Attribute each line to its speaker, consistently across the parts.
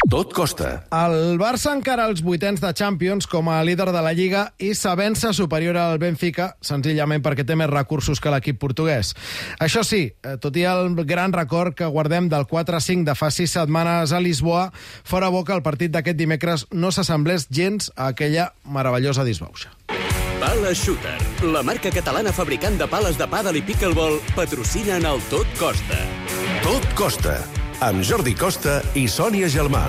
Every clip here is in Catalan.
Speaker 1: Tot costa.
Speaker 2: El Barça encara als vuitens de Champions com a líder de la Lliga i s'avença superior al Benfica, senzillament perquè té més recursos que l'equip portuguès. Això sí, tot i el gran record que guardem del 4-5 de fa 6 setmanes a Lisboa, fora bo que el partit d'aquest dimecres no s'assemblés gens a aquella meravellosa disbauxa.
Speaker 3: Pala Shooter, la marca catalana fabricant de pales de pàdel i pickleball, patrocina en el Tot Costa.
Speaker 1: Tot costa. Amb Jordi Costa i Sònia Gelmà.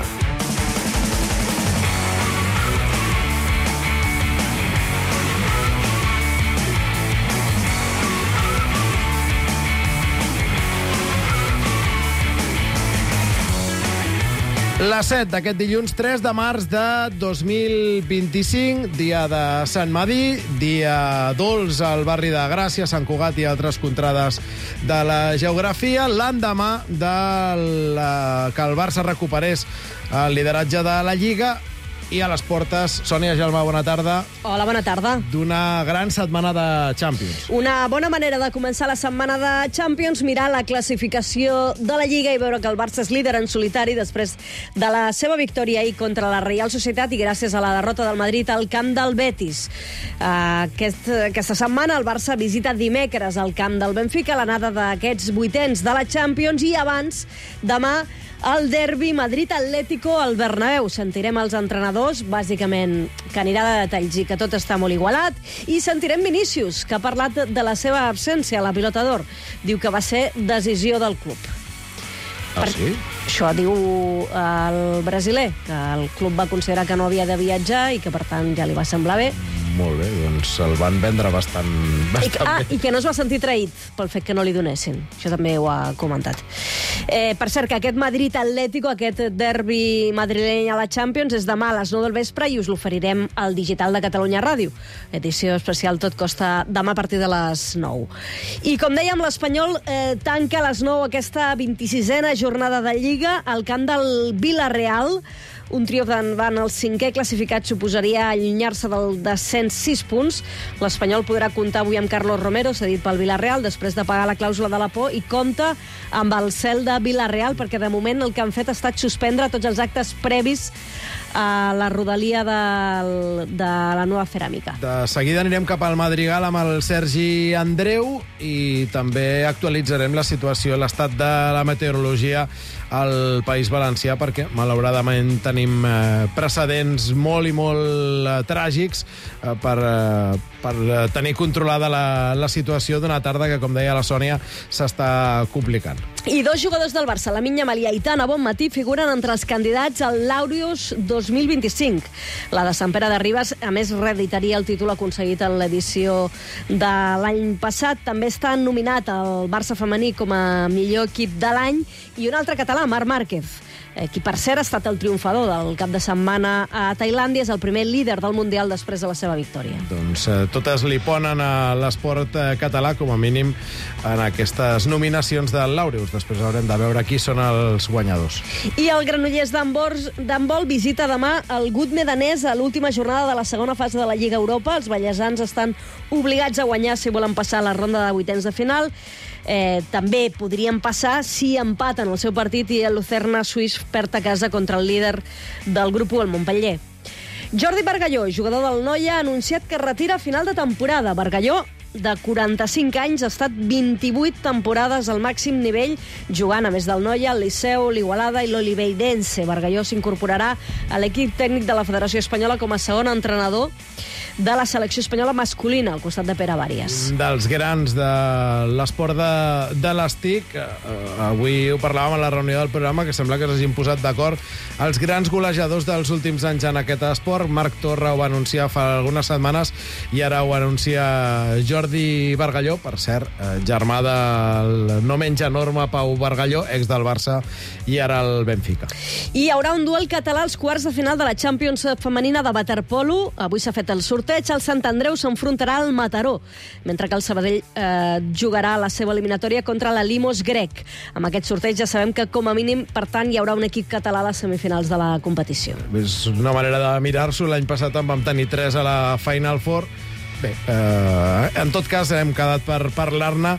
Speaker 2: La 7 d'aquest dilluns 3 de març de 2025, dia de Sant Madí, dia dolç al barri de Gràcia, Sant Cugat i altres contrades de la geografia, l'endemà que el Barça recuperés el lideratge de la Lliga i a les portes, Sònia Gelmà, bona tarda.
Speaker 4: Hola, bona tarda.
Speaker 2: D'una gran setmana de Champions.
Speaker 4: Una bona manera de començar la setmana de Champions, mirar la classificació de la Lliga i veure que el Barça és líder en solitari després de la seva victòria ahir contra la Reial Societat i gràcies a la derrota del Madrid al camp del Betis. Aquesta setmana el Barça visita dimecres al camp del Benfica, l'anada d'aquests vuitens de la Champions, i abans, demà, el derbi Madrid-Atlético al Bernabéu. Sentirem els entrenadors, bàsicament, que anirà de detalls i que tot està molt igualat, i sentirem Vinícius, que ha parlat de la seva absència a la Pilota d'Or. Diu que va ser decisió del club.
Speaker 2: Sí?
Speaker 4: Això diu el brasiler, que el club va considerar que no havia de viatjar i que, per tant, ja li va semblar bé.
Speaker 2: Molt bé, doncs el van vendre bastant bé.
Speaker 4: I que no es va sentir traït pel fet que no li donessin. Això també ho ha comentat. Per cert, que aquest Madrid-Atlético, aquest derbi madrileny a la Champions, és demà a les 9 del vespre i us l'oferirem al digital de Catalunya Ràdio. Edició especial Tot Costa demà a partir de les 9. I com dèiem, l'Espanyol tanca a les 9 aquesta 26a jornada de Lliga al camp del Villarreal. Un triomf davant el cinquè classificat suposaria allunyar-se del descens 6 punts. L'Espanyol podrà comptar avui amb Carlos Romero, cedit pel Villarreal, després de pagar la clàusula de la por, i compta amb el cel de Villarreal, perquè de moment el que han fet ha estat suspendre tots els actes previs a la rodalia de la nova ceràmica.
Speaker 2: De seguida anirem cap al Madrigal amb el Sergi Andreu i també actualitzarem la situació, l'estat de la meteorologia al País Valencià, perquè malauradament tenim precedents molt i molt tràgics per tenir controlada la situació d'una tarda que, com deia la Sònia, s'està complicant.
Speaker 4: I dos jugadors del Barça, Lamine Yamal i Aitana Bonmatí, figuren entre els candidats al Laureus 2025. La de Sant Pere de Ribes, a més, reeditaria el títol aconseguit en l'edició de l'any passat. També està nominat el Barça femení com a millor equip de l'any, i un altre català, Marc Márquez, qui per cert ha estat el triomfador del cap de setmana a Tailàndia, és el primer líder del Mundial després de la seva victòria.
Speaker 2: Doncs totes li ponen a l'esport català, com a mínim, en aquestes nominacions del Laureus. Després haurem de veure qui són els guanyadors.
Speaker 4: I el Granollers d'handbol visita demà el Gutme danès a l'última jornada de la segona fase de la Lliga Europa. Els ballesans estan obligats a guanyar si volen passar a la ronda de vuitens de final. També podrien passar si empaten el seu partit i el Lucerna suís perd a casa contra el líder del grup 1, el Montpellier. Jordi Bargalló, jugador del Noia, ha anunciat que es retira a final de temporada. Bargalló, de 45 anys, ha estat 28 temporades al màxim nivell, jugant, a més del Noia, el Liceu, l'Igualada i l'Oliveirense. Bargalló s'incorporarà a l'equip tècnic de la Federació Espanyola com a segon entrenador de la selecció espanyola masculina, al costat de Pere Bàries.
Speaker 2: Dels grans de l'esport de l'estic, avui ho parlàvem a la reunió del programa, que sembla que s'hagin posat d'acord els grans golejadors dels últims anys en aquest esport. Marc Torra ho va anunciar fa algunes setmanes i ara ho anuncia Jordi Bargalló, per cert, germà del no menys enorme Pau Bargalló, ex del Barça i ara el Benfica.
Speaker 4: I hi haurà un duel català als quarts de final de la Champions femenina de waterpolo. Avui s'ha fet el sorteig. El Sant Andreu s'enfrontarà al Mataró, mentre que el Sabadell jugarà la seva eliminatòria contra la Limos grec. Amb aquest sorteig ja sabem que, com a mínim, per tant, hi haurà un equip català a les semifinals de la competició.
Speaker 2: És una manera de mirar-s'ho. L'any passat en vam tenir 3 a la Final Four. Bé, en tot cas, hem quedat per parlar-ne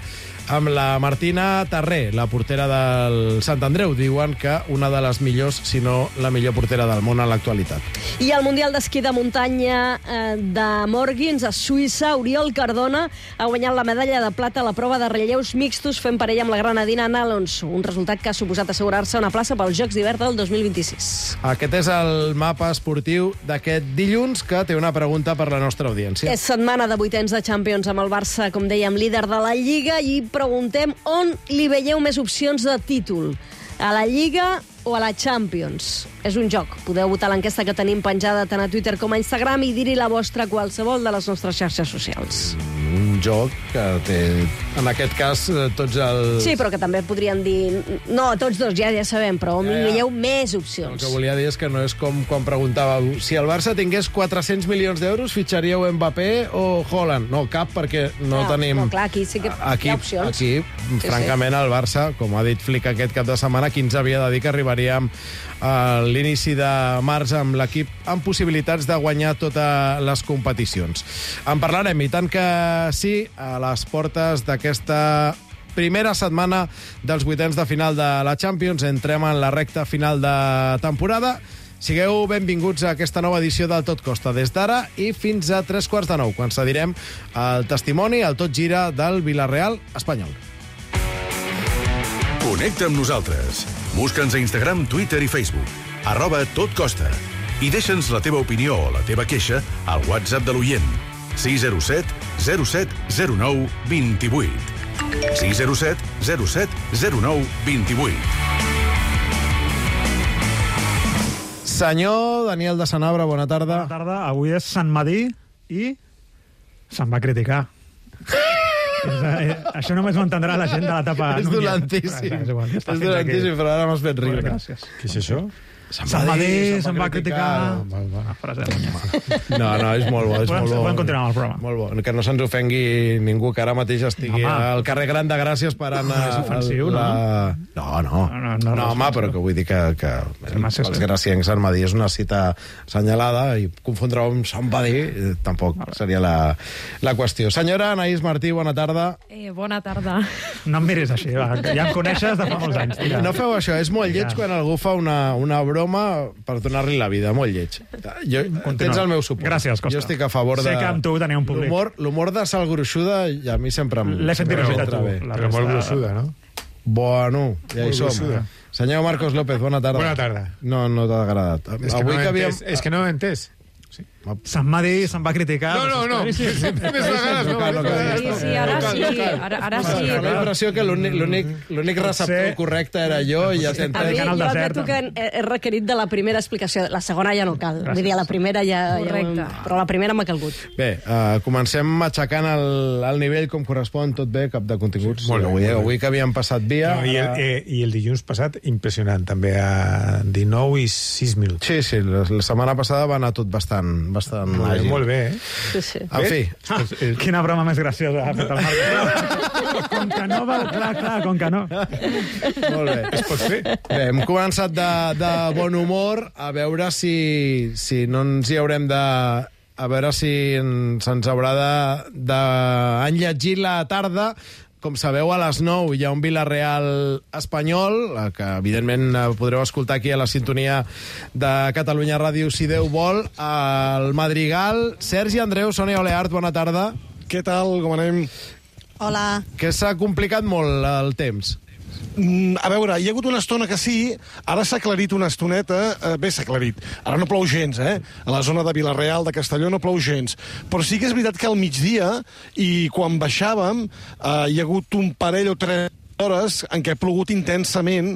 Speaker 2: amb la Martina Tarré, la portera del Sant Andreu. Diuen que una de les millors, si no la millor portera del món en l'actualitat.
Speaker 4: I al Mundial d'Esquí de Muntanya de Morgins, a Suïssa, Oriol Cardona ha guanyat la medalla de plata a la prova de relleus mixtos fent parella amb la granadina Ana Alonso, un resultat que ha suposat assegurar-se una plaça pels Jocs d'Hivern del 2026.
Speaker 2: Aquest és el mapa esportiu d'aquest dilluns, que té una pregunta per la nostra audiència.
Speaker 4: És setmana de vuitens de Champions amb el Barça, com dèiem, líder de la Lliga, i preguntem on li veieu més opcions de títol, a la Lliga o a la Champions. És un joc. Podeu votar l'enquesta que tenim penjada tant a Twitter com a Instagram i dir-hi la vostra a qualsevol de les nostres xarxes socials.
Speaker 2: Un joc que té, en aquest cas, tots els...
Speaker 4: Sí, però que també podrien dir... No, tots dos, ja sabem, però on li veieu més
Speaker 2: El
Speaker 4: opcions.
Speaker 2: que volia dir és que no és com quan preguntàveu si el Barça tingués 400 milions d'euros, fitxaríeu Mbappé o Haaland? No, cap, perquè no tenim...
Speaker 4: No, clar, aquí sí que hi ha opcions.
Speaker 2: Aquí, francament, el Barça, com ha dit Flick aquest cap de setmana, qui ens havia de dir que arribaríem a l'inici de març amb l'equip amb possibilitats de guanyar totes les competicions. En parlarem, i tant que sí, a les portes d'aquesta primera setmana dels vuitens de final de la Champions. Entrem en la recta final de temporada. Sigueu benvinguts a aquesta nova edició del Tot Costa, des d'ara i fins a 8:45, quan cedirem el testimoni, el Tot Gira del Villarreal espanyol.
Speaker 1: Connecta amb nosaltres. Busca'ns a Instagram, Twitter i Facebook. @totcosta. I deixa'ns la teva opinió o la teva queixa al WhatsApp de l'oient. 607 07 09 28. 607 07 09 28.
Speaker 2: Senyor Daniel de Sanabra, bona tarda.
Speaker 5: Bona tarda. Avui és Sant Madí i se'n va criticar. Això només ho entendrà la gent de l'etapa...
Speaker 2: És dolentíssim. És dolentíssim, però ara m'has fet riure.
Speaker 5: Gràcies.
Speaker 6: Què és això?
Speaker 5: Sant Madí se'n va criticar. Bona frase de Muñoz.
Speaker 2: No, és molt bo, és molt bo.
Speaker 5: Podem continuar amb el programa.
Speaker 2: Molt bo. Que no se'ns ofengui ningú que ara mateix estigui al carrer Gran de Gràcia esperant...
Speaker 5: És ofensiu,
Speaker 2: no, home, però que vull dir que els graciencs Sant Madí és una cita assenyalada i confondre amb Sant Madí tampoc seria la qüestió. Senyora Anaïs Martí, bona tarda.
Speaker 7: Bona tarda.
Speaker 5: No em miris així, va. Ja em coneixes de fa molts anys. Tira.
Speaker 2: No feu això, és molt lleig quan algú fa una broma per donar-li la vida, molt lleig. Tens el meu suport.
Speaker 5: Gràcies, Costa.
Speaker 2: Jo estic a favor de...
Speaker 5: Sé que amb tu tenia un públic.
Speaker 2: L'humor de sal gruixuda i a mi sempre em...
Speaker 5: L'he sentit a tu.
Speaker 6: Però molt gruixuda, no?
Speaker 2: Bueno, ja hi som.
Speaker 6: Gruixuda.
Speaker 2: Senyor Marcos López, bona tarda.
Speaker 6: Bona tarda.
Speaker 2: No t'ha agradat.
Speaker 6: És que no ho he entès.
Speaker 5: Sant Madí se'n va criticar.
Speaker 6: No. Més vegades no.
Speaker 7: Sí, ara sí. Ara sí.
Speaker 2: La impressió que l'únic receptor correcte era jo i ja
Speaker 4: A mi,
Speaker 2: t'entenc.
Speaker 4: jo admeto que he requerit de la primera explicació. La segona ja no cal. Vull dir, la primera ja...
Speaker 7: Correcte.
Speaker 4: Però la primera m'ha calgut.
Speaker 2: Bé, comencem aixecant el nivell com correspon, tot bé, cap de continguts.
Speaker 6: Molt bé.
Speaker 2: Avui que havíem passat via...
Speaker 6: I el dilluns passat, impressionant, també a 19 i 6 minuts.
Speaker 2: Sí, la setmana passada va anar tot bastant àgil.
Speaker 6: Molt bé, eh?
Speaker 4: Sí.
Speaker 2: En fi,
Speaker 5: Quina broma més graciosa ha fet el Marc. Com que no, clar, com que no.
Speaker 2: molt bé.
Speaker 6: Es pot fer.
Speaker 2: Bé, hem començat de bon humor, a veure si no ens hi haurem de... A veure si se'ns haurà d'enlletgir la tarda. Com sabeu, a les 9 hi ha un Villarreal espanyol, que evidentment podreu escoltar aquí a la sintonia de Catalunya Ràdio, si Déu vol. El Madrigal, Sergi Andreu, Sònia Oleart, bona tarda.
Speaker 8: Què tal, com anem?
Speaker 9: Hola.
Speaker 2: Que s'ha complicat molt el temps.
Speaker 8: A veure, hi ha hagut una estona que sí, ara s'ha aclarit una estoneta, bé, s'ha aclarit, ara no plou gens, A la zona de Vilareal, de Castelló, no plou gens, però sí que és veritat que al migdia, i quan baixàvem, hi ha hagut un parell o 3 hores en què ha plogut intensament,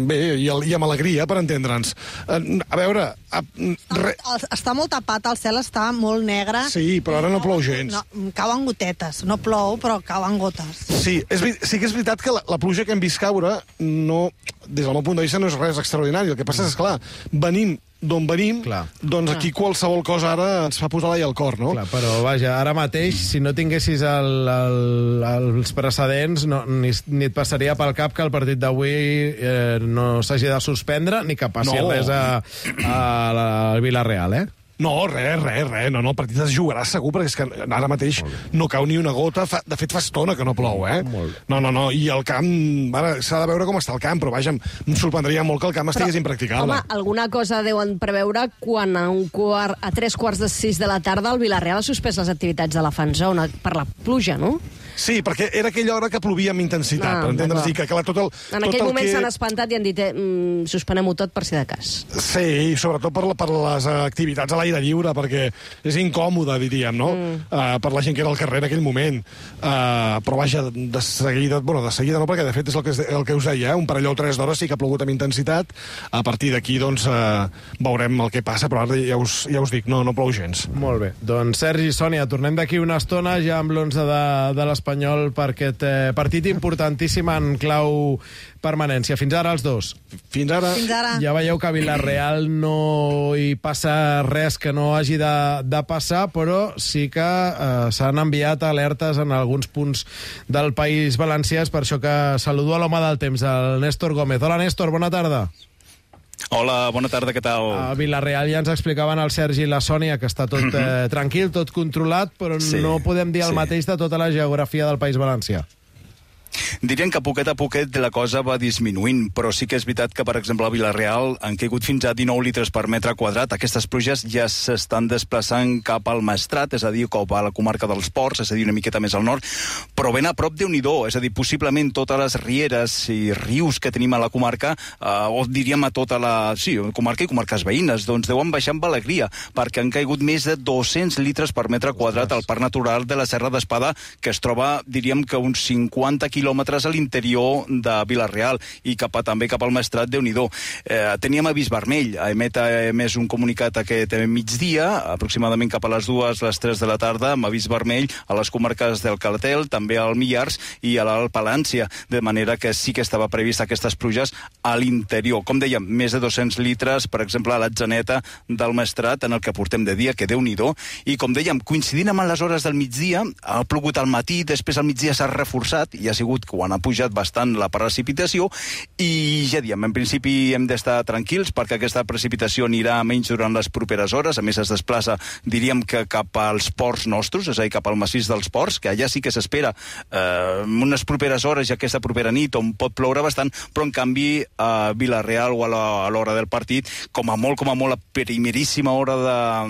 Speaker 8: bé, i amb alegria, per entendre'ns. A veure...
Speaker 9: Està molt tapat, el cel està molt negre.
Speaker 8: Sí, però ara no plou gens.
Speaker 9: No, cauen gotetes, no plou, però cauen gotes.
Speaker 8: Sí que és veritat que la pluja que hem vist caure, no, des del meu punt de vista, no és res extraordinari. El que passa és, clar, venim d'on venim, doncs aquí qualsevol cosa ara ens fa posar l'ai al cor, no?
Speaker 2: Clar, però vaja, ara mateix, si no tinguessis els precedents, ni et passaria pel cap que el partit d'avui no s'hagi de suspendre ni que passi res al Villarreal,
Speaker 8: No, res. No, el partit es jugarà segur, perquè és que ara mateix no cau ni una gota. De fet, fa estona que no plou, eh? No. I el camp... Ara s'ha de veure com està el camp, però vaja, em sorprendria molt que el camp estigués impracticable.
Speaker 4: Home, alguna cosa deuen preveure quan a 3:45 de la tarda el Villarreal ha suspès les activitats de la fan zone per la pluja, no?
Speaker 8: Sí, perquè era aquella hora que plovia amb intensitat, per entendre's, i que clar, tot el...
Speaker 4: En aquell moment s'han espantat i han dit suspenem-ho tot per si de cas.
Speaker 8: Sí, i sobretot per les activitats a l'aire lliure, perquè és incòmode, diríem, no? Per la gent que era al carrer en aquell moment. Però vaja, de seguida no, perquè de fet és el que us deia, un parell o 3 d'hores sí que ha plogut amb intensitat. A partir d'aquí, doncs, veurem el que passa, però ara ja us dic, no plou gens.
Speaker 2: Molt bé. Doncs, Sergi, Sònia, tornem d'aquí una estona ja amb l'11 de l'Espanyol per aquest partit importantíssim en clau permanència. Fins ara els dos.
Speaker 8: Fins ara.
Speaker 2: Ja veieu que a Villarreal no hi passa res que no hagi de passar, però sí que s'han enviat alertes en alguns punts del País Valencià. És per això que saludo a l'home del temps, el Néstor Gómez. Hola, Néstor, bona tarda.
Speaker 10: Hola, bona tarda, què tal?
Speaker 2: A Villarreal ja ens explicaven el Sergi i la Sònia que està tot tranquil, tot controlat, però no podem dir el mateix de tota la geografia del País Valencià.
Speaker 10: Diríem que poquet a poquet la cosa va disminuint, però sí que és veritat que, per exemple, a Villarreal han caigut fins a 19 litres per metre quadrat. Aquestes pluges ja s'estan desplaçant cap al Maestrat, és a dir, cap a la comarca dels Ports, és a dir, una miqueta més al nord, però ben a prop Déu-n'hi-do, és a dir, possiblement totes les rieres i rius que tenim a la comarca, o diríem a tota la comarca i comarques veïnes, doncs deuen baixar amb alegria, perquè han caigut més de 200 litres per metre quadrat al Parc Natural de la Serra d'Espada, que es troba, diríem que uns 50 quilòmetres a l'interior de Villarreal i també cap al Maestrat, Déu-n'hi-do. Teníem avís vermell, ha emès un comunicat aquest migdia, aproximadament cap a les 2, les 3 de la tarda, amb avís vermell a les comarques del Calatel, també al Millars i a l'Alt Palància, de manera que sí que estava previst aquestes pluges a l'interior. Com dèiem, més de 200 litres, per exemple, a l'Atzeneta del Maestrat, en el que portem de dia, que Déu-n'hi-do, i com dèiem, coincidint amb les hores del migdia, ha plogut al matí, després al migdia s'ha reforçat i ha sigut quan ha pujat bastant la precipitació, i ja diem, en principi hem d'estar tranquils perquè aquesta precipitació anirà menys durant les properes hores. A més es desplaça, diríem que cap als ports nostres, és a dir, cap al massís dels ports, que allà sí que s'espera unes properes hores i aquesta propera nit on pot ploure bastant, però en canvi a Villarreal o a l'hora del partit, com a molt a primeríssima hora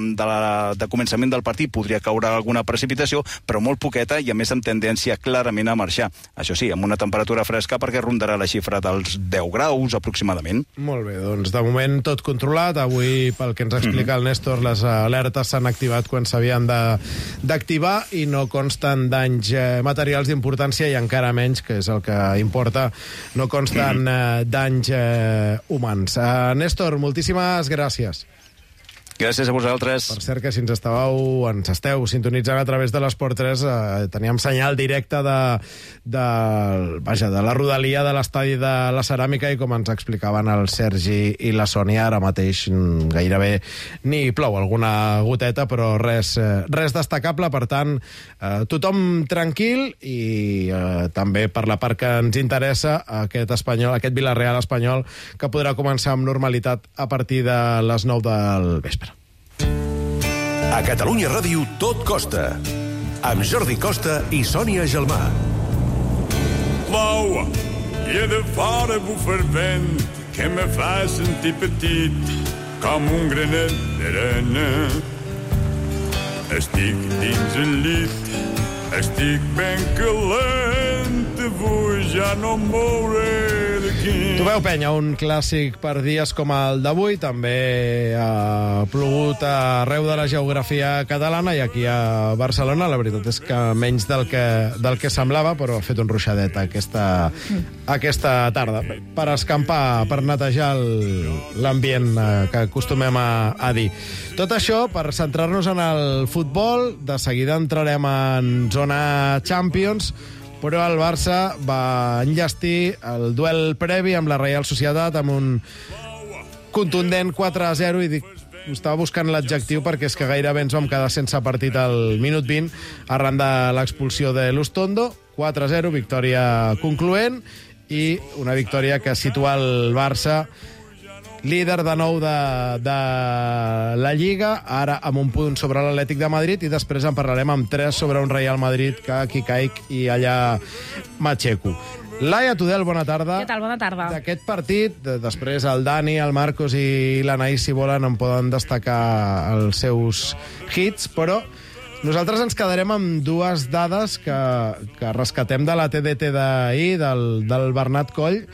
Speaker 10: de començament del partit podria caure alguna precipitació, però molt poqueta i a més amb tendència clarament a marxar. Això sí, amb una temperatura fresca perquè rondarà la xifra dels 10 graus aproximadament.
Speaker 2: Molt bé, doncs de moment tot controlat. Avui, pel que ens explica el Néstor, les alertes s'han activat quan s'havien d'activar i no consten danys materials d'importància i encara menys, que és el que importa, no consten danys humans. Néstor, moltíssimes gràcies.
Speaker 10: Gràcies a vosaltres.
Speaker 2: Per cert, que si ens esteu sintonitzant a través de l'Esport 3, teníem senyal directe de la rodalia de l'estadi de la Ceràmica i com ens explicaven el Sergi i la Sònia, ara mateix gairebé ni plou, alguna goteta, però res destacable. Per tant, tothom tranquil i també per la part que ens interessa aquest Villarreal espanyol que podrà començar amb normalitat a partir de les 9 del vespre.
Speaker 1: A Catalunya Ràdio tot costa. Amb Jordi Costa i Sònia Gelmà.
Speaker 11: L'aua i de fora bufa el vent que me fa sentir petit com un granet d'arena. Estic dins el llit, estic ben calent, avui ja no em mouré d'aquí.
Speaker 2: Tu veu, penya, un clàssic per dies com el d'avui. També ha plogut arreu de la geografia catalana i aquí a Barcelona. La veritat és que menys del que semblava, però ha fet un ruixadet aquesta tarda per escampar, per netejar l'ambient que acostumem a dir. Tot això per centrar-nos en el futbol. De seguida entrarem en zona Champions, però el Barça va enllestir el duel previ amb la Reial Societat amb un contundent 4-0 i estava buscant l'adjectiu perquè és que gairebé ens vam quedar sense partit al minut 20 arran de l'expulsió de Lustondo. 4-0, victòria concloent i una victòria que situa el Barça líder de nou de la Lliga, ara amb un punt sobre l'Atlètic de Madrid, i després en parlarem amb 3 sobre un Real Madrid que aquí caic i allà m'aixeco. Laia Tudel, bona tarda.
Speaker 7: Què tal? Bona tarda.
Speaker 2: D'aquest partit, després el Dani, el Marcos i l'Anaïs, si volen, en poden destacar els seus hits, però nosaltres ens quedarem amb 2 dades que rescatem de la TDT d'ahir, del Bernat Coll,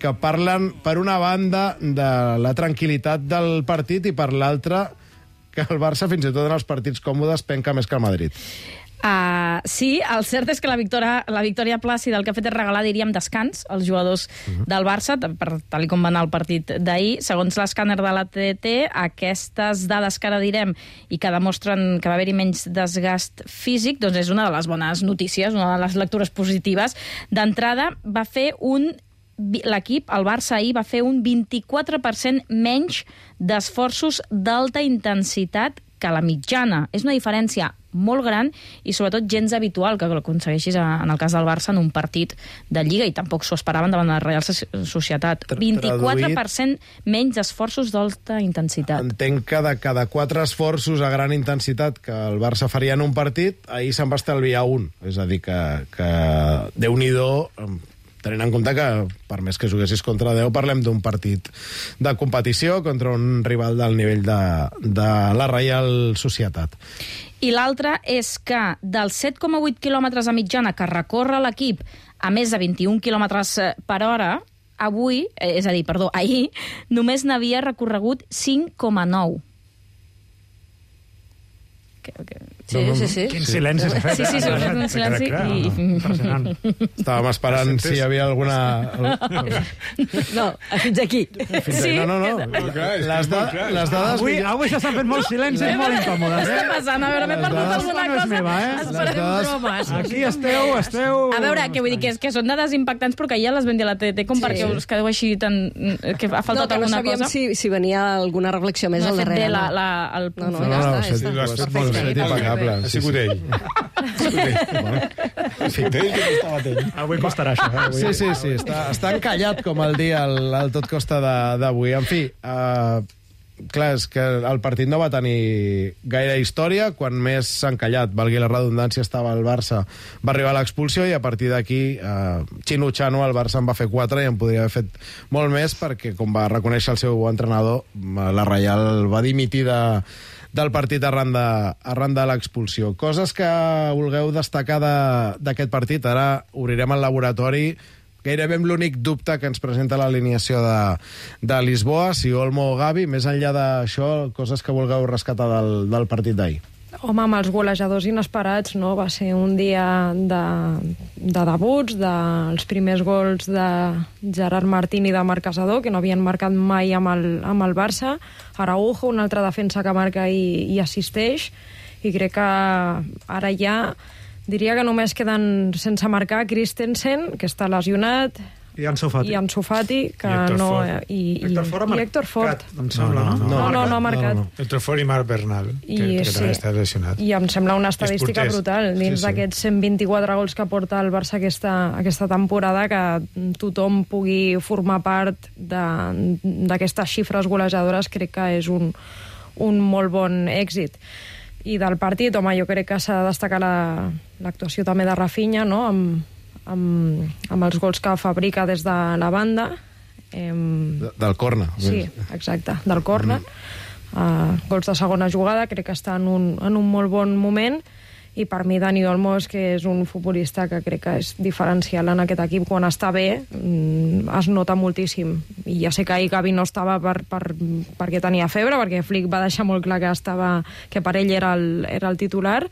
Speaker 2: que parlen, per una banda, de la tranquil·litat del partit i per l'altra, que el Barça, fins i tot en els partits còmodes, penca més que el Madrid.
Speaker 7: Sí, el cert és que la victòria plàcida el que ha fet és regalar, diríem, descans als jugadors del Barça, tal com va anar el partit d'ahir. Segons l'escàner de la TDT, aquestes dades que ara direm i que demostren que va haver-hi menys desgast físic, doncs és una de les bones notícies, una de les lectures positives. D'entrada, l'equip, el Barça ahir, va fer un 24% menys d'esforços d'alta intensitat que la mitjana. És una diferència molt gran i sobretot gens habitual que l'aconsegueixis en el cas del Barça en un partit de Lliga, i tampoc s'ho esperaven davant de la Real Societat. 24% menys d'esforços d'alta intensitat.
Speaker 2: Entenc que de cada 4 esforços a gran intensitat que el Barça faria en un partit, ahir se'n va estalviar un. És a dir, que Déu-n'hi-do, tenint en compte que, per més que juguessis contra 10, parlem d'un partit de competició contra un rival del nivell de la Real Societat.
Speaker 7: I l'altre és que dels 7,8 quilòmetres a mitjana que recorre l'equip a més de 21 quilòmetres per hora, ahir només n'havia recorregut 5,9.
Speaker 4: Sí.
Speaker 5: Quin silenci s'ha fet.
Speaker 7: Sí, un silenci.
Speaker 5: Impressionant.
Speaker 2: Estàvem esperant si hi havia alguna...
Speaker 4: No, fins aquí.
Speaker 2: No. Les dades...
Speaker 5: Avui s'han fet molts silencis molt incòmodes.
Speaker 7: Què està passant? A veure, m'he perdut alguna cosa.
Speaker 5: Meva,
Speaker 7: Esperem bromes.
Speaker 5: Aquí esteu...
Speaker 7: A veure, què vull dir? Que són dades impactants, però que ja les vam dir a la TDT, com perquè us quedeu així tan... que ha faltat alguna cosa.
Speaker 4: No sabíem si venia alguna reflexió més al darrere.
Speaker 2: No, impecable.
Speaker 6: Ha sigut ell.
Speaker 5: Avui costarà això.
Speaker 2: Sí. Està encallat, com el dia el Tot Costa d'avui. En fi, clar, és que el partit no va tenir gaire història. Quan més s'ha encallat, valgui la redundància, estava el Barça, va arribar l'expulsió i a partir d'aquí, xino-xano, el Barça en va fer 4 i en podria haver fet molt més perquè, com va reconèixer el seu entrenador, la Reial va dimitir del partit arran de l'expulsió. Coses que vulgueu destacar d'aquest partit. Ara obrirem el laboratori. Gairebé amb l'únic dubte que ens presenta l'alineació de Lisboa, si Olmo o Gavi. Més enllà d'això, coses que vulgueu rescatar del partit d'ahir.
Speaker 12: Home, amb els golejadors inesperats, no? Va ser un dia de debuts, dels primers gols de Gerard Martín i de Marc Casador, que no havien marcat mai amb el Barça. Araujo, una altra defensa que marca i assisteix, i crec que ara ja diria que només queden sense marcar Christensen, que està lesionat,
Speaker 5: i Ansu
Speaker 12: Fati, que
Speaker 5: Héctor Ford ha
Speaker 12: Héctor Ford.
Speaker 5: Em sembla,
Speaker 12: no ha marcat.
Speaker 6: Héctor Ford i Marc Bernal, que també està lesionat.
Speaker 12: I em sembla una estadística brutal. Dins d'aquests 124 gols que porta el Barça aquesta temporada, que tothom pugui formar part d'aquestes xifres golejadores, crec que és un molt bon èxit. I del partit, home, jo crec que s'ha de destacar l'actuació també de Rafinha, no?, amb els gols que fabrica des de la banda.
Speaker 2: Del córner.
Speaker 12: Sí, exacte, del córner. Gols de segona jugada, crec que està en un molt bon moment, i per mi Dani Olmo és un futbolista que crec que és diferencial en aquest equip. Quan està bé es nota moltíssim, i ja sé que ahir Gavi no estava perquè tenia febre, perquè Flick va deixar molt clar que per ell era el titular,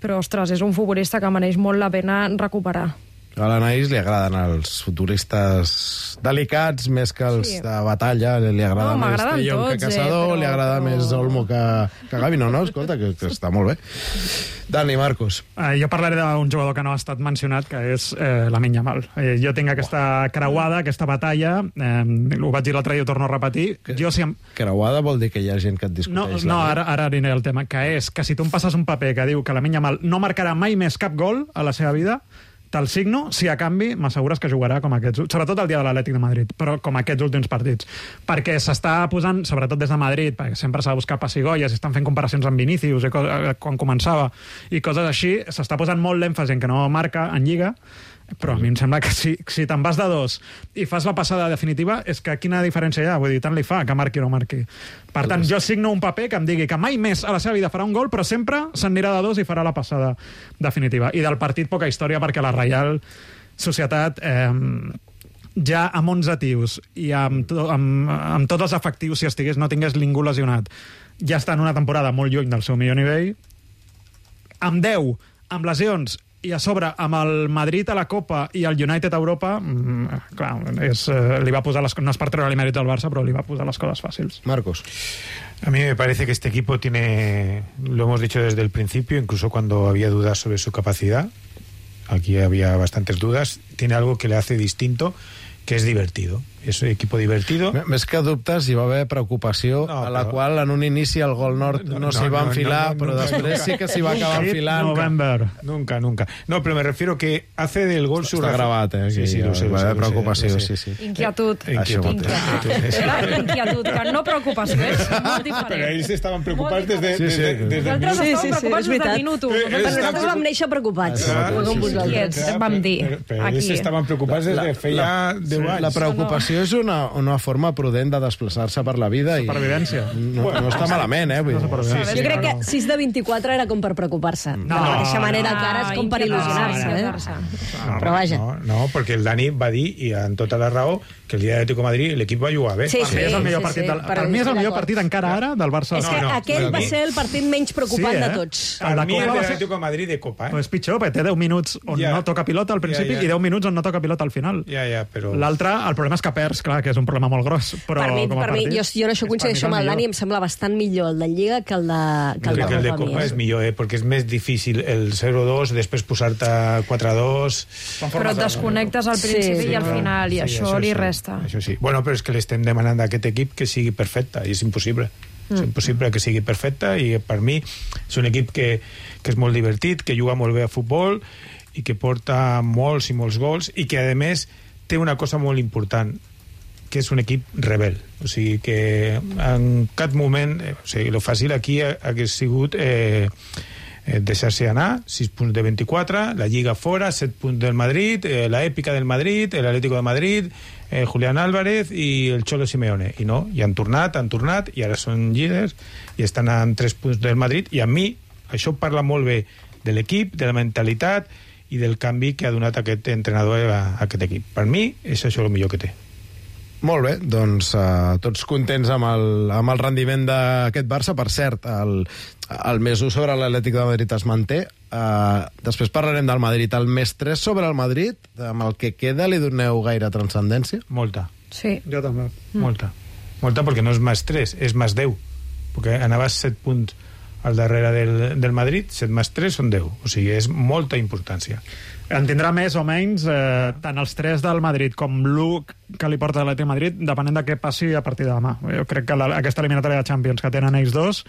Speaker 12: però ostres, és un futbolista que mereix molt la pena recuperar.
Speaker 2: A l'Anaïs li agraden els futuristes delicats més que els de batalla. Li agrada més Tellón que Casador, li agrada més Olmo que Gavi. No, escolta, que està molt bé. Dani, Marcos.
Speaker 5: Jo parlaré d'un jugador que no ha estat mencionat, que és Lamine Yamal. Jo tinc aquesta creuada, aquesta batalla, ho vaig dir l'altre dia, ho torno a repetir.
Speaker 2: Creuada vol dir que hi ha gent que et discuteix.
Speaker 5: No, ara aniré al tema, que és que si tu em passes un paper que diu que Lamine Yamal no marcarà mai més cap gol a la seva vida, Te'l signo si a canvi m'assegures que jugarà com aquests, sobretot el dia de l'Atlètic de Madrid, però com aquests últims partits. Perquè s'està posant, sobretot des de Madrid, perquè sempre s'ha de buscar pessigolles, estan fent comparacions amb Vinícius quan començava i coses així, s'està posant molt l'èmfasi en que no marca en Lliga, però a mi em sembla que si te'n vas de 2 i fas la passada definitiva, és que quina diferència hi ha? Vull dir, tant li fa que marqui o no marqui. Per tant, jo signo un paper que em digui que mai més a la seva vida farà un gol, però sempre s'anirà de 2 i farà la passada definitiva. I del partit poca història, perquè la Reial Societat ja amb 11 tios i amb tots els efectius, si estigués, no tingués ningú lesionat, ja està en una temporada molt lluny del seu millor nivell, amb 10, amb lesions, i a sobre, amb el Madrid a la Copa i el United a Europa, clar, li va posar no es per treure-li mèrits al Barça, però li va posar les coses fàcils.
Speaker 2: Marcos.
Speaker 6: A mí me parece que este equipo tiene, lo hemos dicho desde el principio, incluso cuando había dudas sobre su capacidad, aquí había bastantes dudas, tiene algo que le hace distinto, que és divertido. És un equip divertido.
Speaker 2: Més que dubtes, hi va haver preocupació, a la qual en un inici el gol nord no s'hi va enfilar, però després sí que s'hi va acabar enfilant.
Speaker 6: Nunca. No, pero me refiero que hace del gol su...
Speaker 2: Està gravat,
Speaker 6: Sí, lo sé.
Speaker 2: Va haver preocupació, sí.
Speaker 12: Inquietud. Inquietud, que no preocupació, és molt diferent.
Speaker 6: Però ells estaven preocupats des de...
Speaker 12: Nosaltres estàvem preocupats des del minut 1.
Speaker 4: Nosaltres vam néixer preocupats.
Speaker 12: Inquiets, vam dir.
Speaker 6: Però ells estaven preocupats des de feia 10 anys.
Speaker 2: La preocupació és una forma prudent de desplaçar-se per la vida.
Speaker 5: Supervivència.
Speaker 2: No està malament,
Speaker 4: Jo crec que 6 de 24 era com per preocupar-se. De la mateixa manera que ara és com per il·lusionar-se. Però vaja.
Speaker 6: No, perquè el Dani va dir, i amb tota la raó, que el dia d'Atlètico de Madrid l'equip va jugar bé.
Speaker 5: Per mi és el millor partit encara ara del Barça.
Speaker 4: És que aquell va ser el partit menys preocupant de tots.
Speaker 6: Per mi el de l'Atlètico de Madrid de Copa.
Speaker 5: És pitjor, perquè té 10 minuts on no toca pilota al principi i 10 minuts on no toca pilota al final. L'altre, el problema és que perds, clar, que és un problema molt gros. Per mi,
Speaker 4: jo en això coincideixo amb el Dani, em sembla bastant millor el de Lliga que el de
Speaker 6: Copa. És millor, perquè és més difícil el 0-2, després posar-te 4-2...
Speaker 12: Però et desconnectes al principi i al final, i això li resta.
Speaker 6: Això sí. Bueno, però és que l'estem demanant a aquest equip que sigui perfecte, i és impossible. És impossible que sigui perfecte, i per mi és un equip que és molt divertit, que juga molt bé a futbol, i que porta molts i molts gols, i que, a més, té una cosa molt important, que és un equip rebel. O sigui, que en cap moment... O sigui, lo fàcil aquí hagués sigut... deixar-se anar, 6 punts de 24, la Lliga fora, 7 punts del Madrid, la èpica del Madrid, l'Atlético de Madrid, Julián Álvarez i el Cholo Simeone. I no, i han tornat, i ara són líders, i estan amb 3 punts del Madrid, i a mi això parla molt bé de l'equip, de la mentalitat i del canvi que ha donat aquest entrenador a aquest equip. Per mi és això el millor que té.
Speaker 2: Molt bé, doncs tots contents amb el rendiment d'aquest Barça. Per cert, el més 1 sobre l'Atlètic de Madrid es manté. Després parlarem del Madrid. El més 3 sobre el Madrid, amb el que queda, li doneu gaire transcendència?
Speaker 6: Molta.
Speaker 12: Sí.
Speaker 5: Jo també.
Speaker 6: Molta, perquè no és més 3, és més 10. Perquè anaves 7 punts al darrere del Madrid, 7 més 3 són 10. O sigui, és molta importància.
Speaker 5: En tindrà més o menys tant els 3 del Madrid com l'1 que li porta l'Atlètic de Madrid, depenent de què passi a partir de demà. Jo crec que aquesta eliminatòria de Champions que tenen ells dos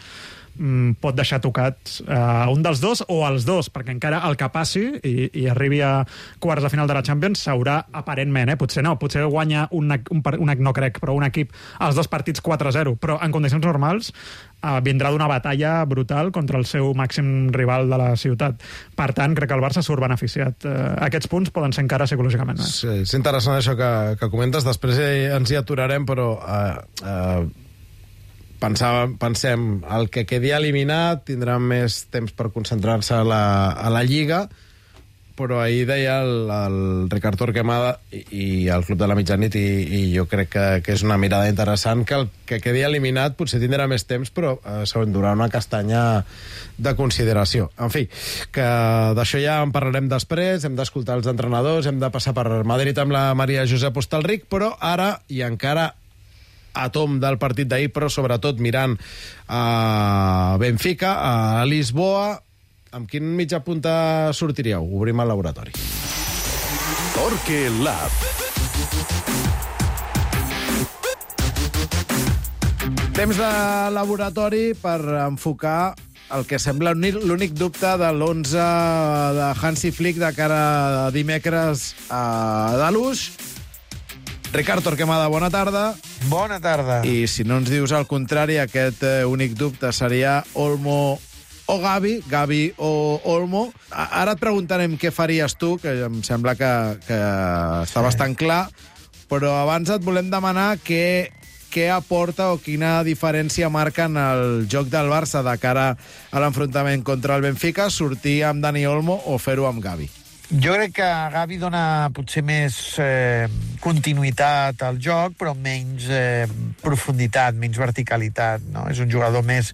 Speaker 5: pot deixar tocats un dels dos o els dos, perquè encara el que passi i arribi a quarts de final de la Champions s'haurà aparentment, potser guanya no crec, però un equip els dos partits 4-0, però en condicions normals vindrà d'una batalla brutal contra el seu màxim rival de la ciutat. Per tant, crec que el Barça surt beneficiat. Aquests punts poden ser encara psicològicament més.
Speaker 2: Sí, és interessant això que comentes, després ens hi aturarem, però pensem, el que quedi eliminat tindrà més temps per concentrar-se a la Lliga, però ahir deia el Ricard Torquemada i el Club de la Mitjanit, i jo crec que és una mirada interessant, que el que quedi eliminat potser tindrà més temps, però s'endurà una castanya de consideració. En fi, que d'això ja en parlarem després, hem d'escoltar els entrenadors, hem de passar per Madrid amb la Maria Josep Hostalric, però ara, i encara a tom del partit d'ahir, però sobretot mirant a Benfica, a Lisboa, amb quin mitja punta sortiríeu? Obrim el laboratori.
Speaker 1: Torque Lab.
Speaker 2: Temps de laboratori per enfocar el que sembla l'únic dubte de l'11 de Hansi Flick de cara a dimecres a Dalús. Ricard Torquemada, bona tarda.
Speaker 13: Bona tarda.
Speaker 2: I si no ens dius el contrari, aquest únic dubte seria Olmo o Gavi o Olmo. Ara et preguntarem què faries tu, que em sembla que està bastant clar, però abans et volem demanar què aporta o quina diferència marca en el joc del Barça de cara a l'enfrontament contra el Benfica, sortir amb Dani Olmo o fer-ho amb Gavi.
Speaker 13: Jo crec que Gavi dona potser més continuïtat al joc, però menys profunditat, menys verticalitat, no? És un jugador més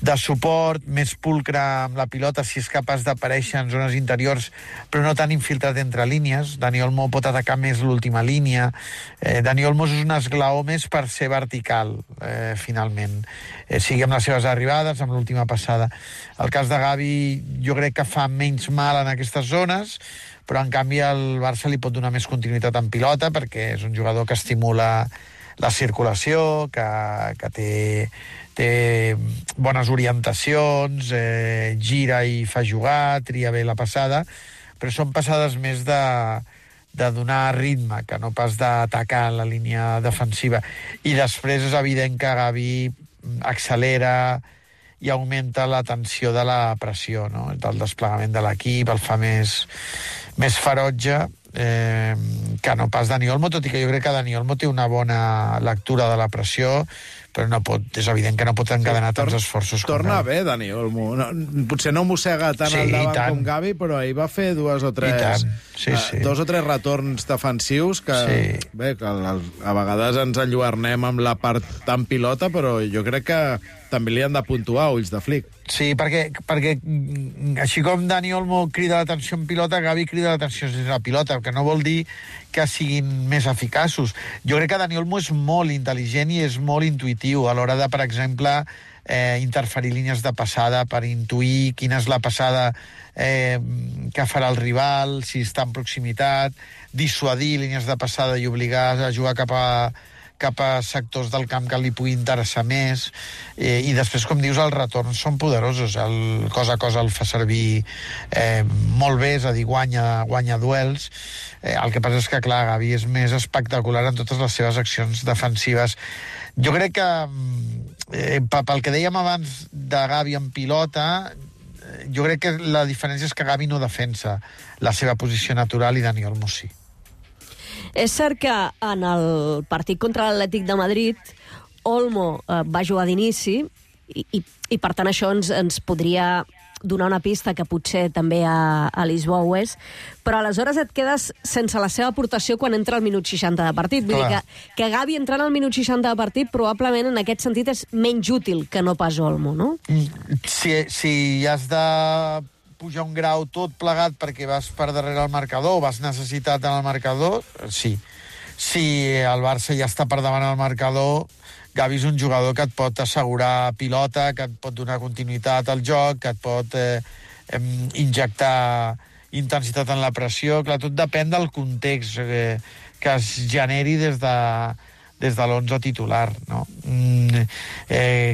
Speaker 13: de suport, més pulcre amb la pilota, si és capaç d'aparèixer en zones interiors, però no tan infiltrat entre línies. Dani Olmo pot atacar més l'última línia. Dani Olmo és un esglaó més per ser vertical, finalment. Sigui amb les seves arribades, amb l'última passada. El cas de Gavi jo crec que fa menys mal en aquestes zones, però en canvi al Barça li pot donar més continuïtat en pilota, perquè és un jugador que estimula la circulació, que té bones orientacions, gira i fa jugar, tria bé la passada, però són passades més de donar ritme, que no pas d'atacar la línia defensiva. I després és evident que Gavi accelera i augmenta la tensió de la pressió, no? Del desplegament de l'equip, el fa més ferotge, que no pas Dani Olmo, tot i que jo crec que Dani Olmo té una bona lectura de la pressió, però és evident que no pot encadenar tants esforços.
Speaker 2: Torna bé, Dani Olmo. Potser no mossega tant al davant com Gavi, però ahir va fer dos o tres retorns defensius que, bé, que a vegades ens enlluernem amb la part tan pilota, però jo crec que també li han de puntuar ulls de Flick.
Speaker 13: Sí, perquè així com Dani Olmo crida l'atenció en pilota, Gavi crida l'atenció sense la pilota, que no vol dir que siguin més eficaços. Jo crec que Dani Olmo és molt intel·ligent i és molt intuitiu a l'hora de, per exemple, interferir línies de passada per intuir quina és la passada que farà el rival, si està en proximitat, dissuadir línies de passada i obligar a jugar cap a sectors del camp que li pugui interessar més, i després, com dius, els retorns són poderosos. El cosa a cosa el fa servir molt bé, és a dir, guanya duels. El que passa és que, clar, Gavi és més espectacular en totes les seves accions defensives. Jo crec que, pel que dèiem abans de Gavi en pilota, jo crec que la diferència és que Gavi no defensa la seva posició natural i Dani Olmo sí.
Speaker 4: És cert que en el partit contra l'Atlètic de Madrid Olmo va jugar d'inici i per tant això ens podria donar una pista que potser també a Lisboa ho és, però aleshores et quedes sense la seva aportació quan entra al minut 60 de partit. Vull dir que Gavi entrant al minut 60 de partit probablement en aquest sentit és menys útil que no pas Olmo, no?
Speaker 13: Si has de pujar un grau tot plegat perquè vas per darrere el marcador o vas necessitat en el marcador, sí. Si el Barça ja està per davant el marcador, Gavi és un jugador que et pot assegurar pilota, que et pot donar continuïtat al joc, que et pot injectar intensitat en la pressió. Clar, tot depèn del context que es generi des de l'11 titular, no?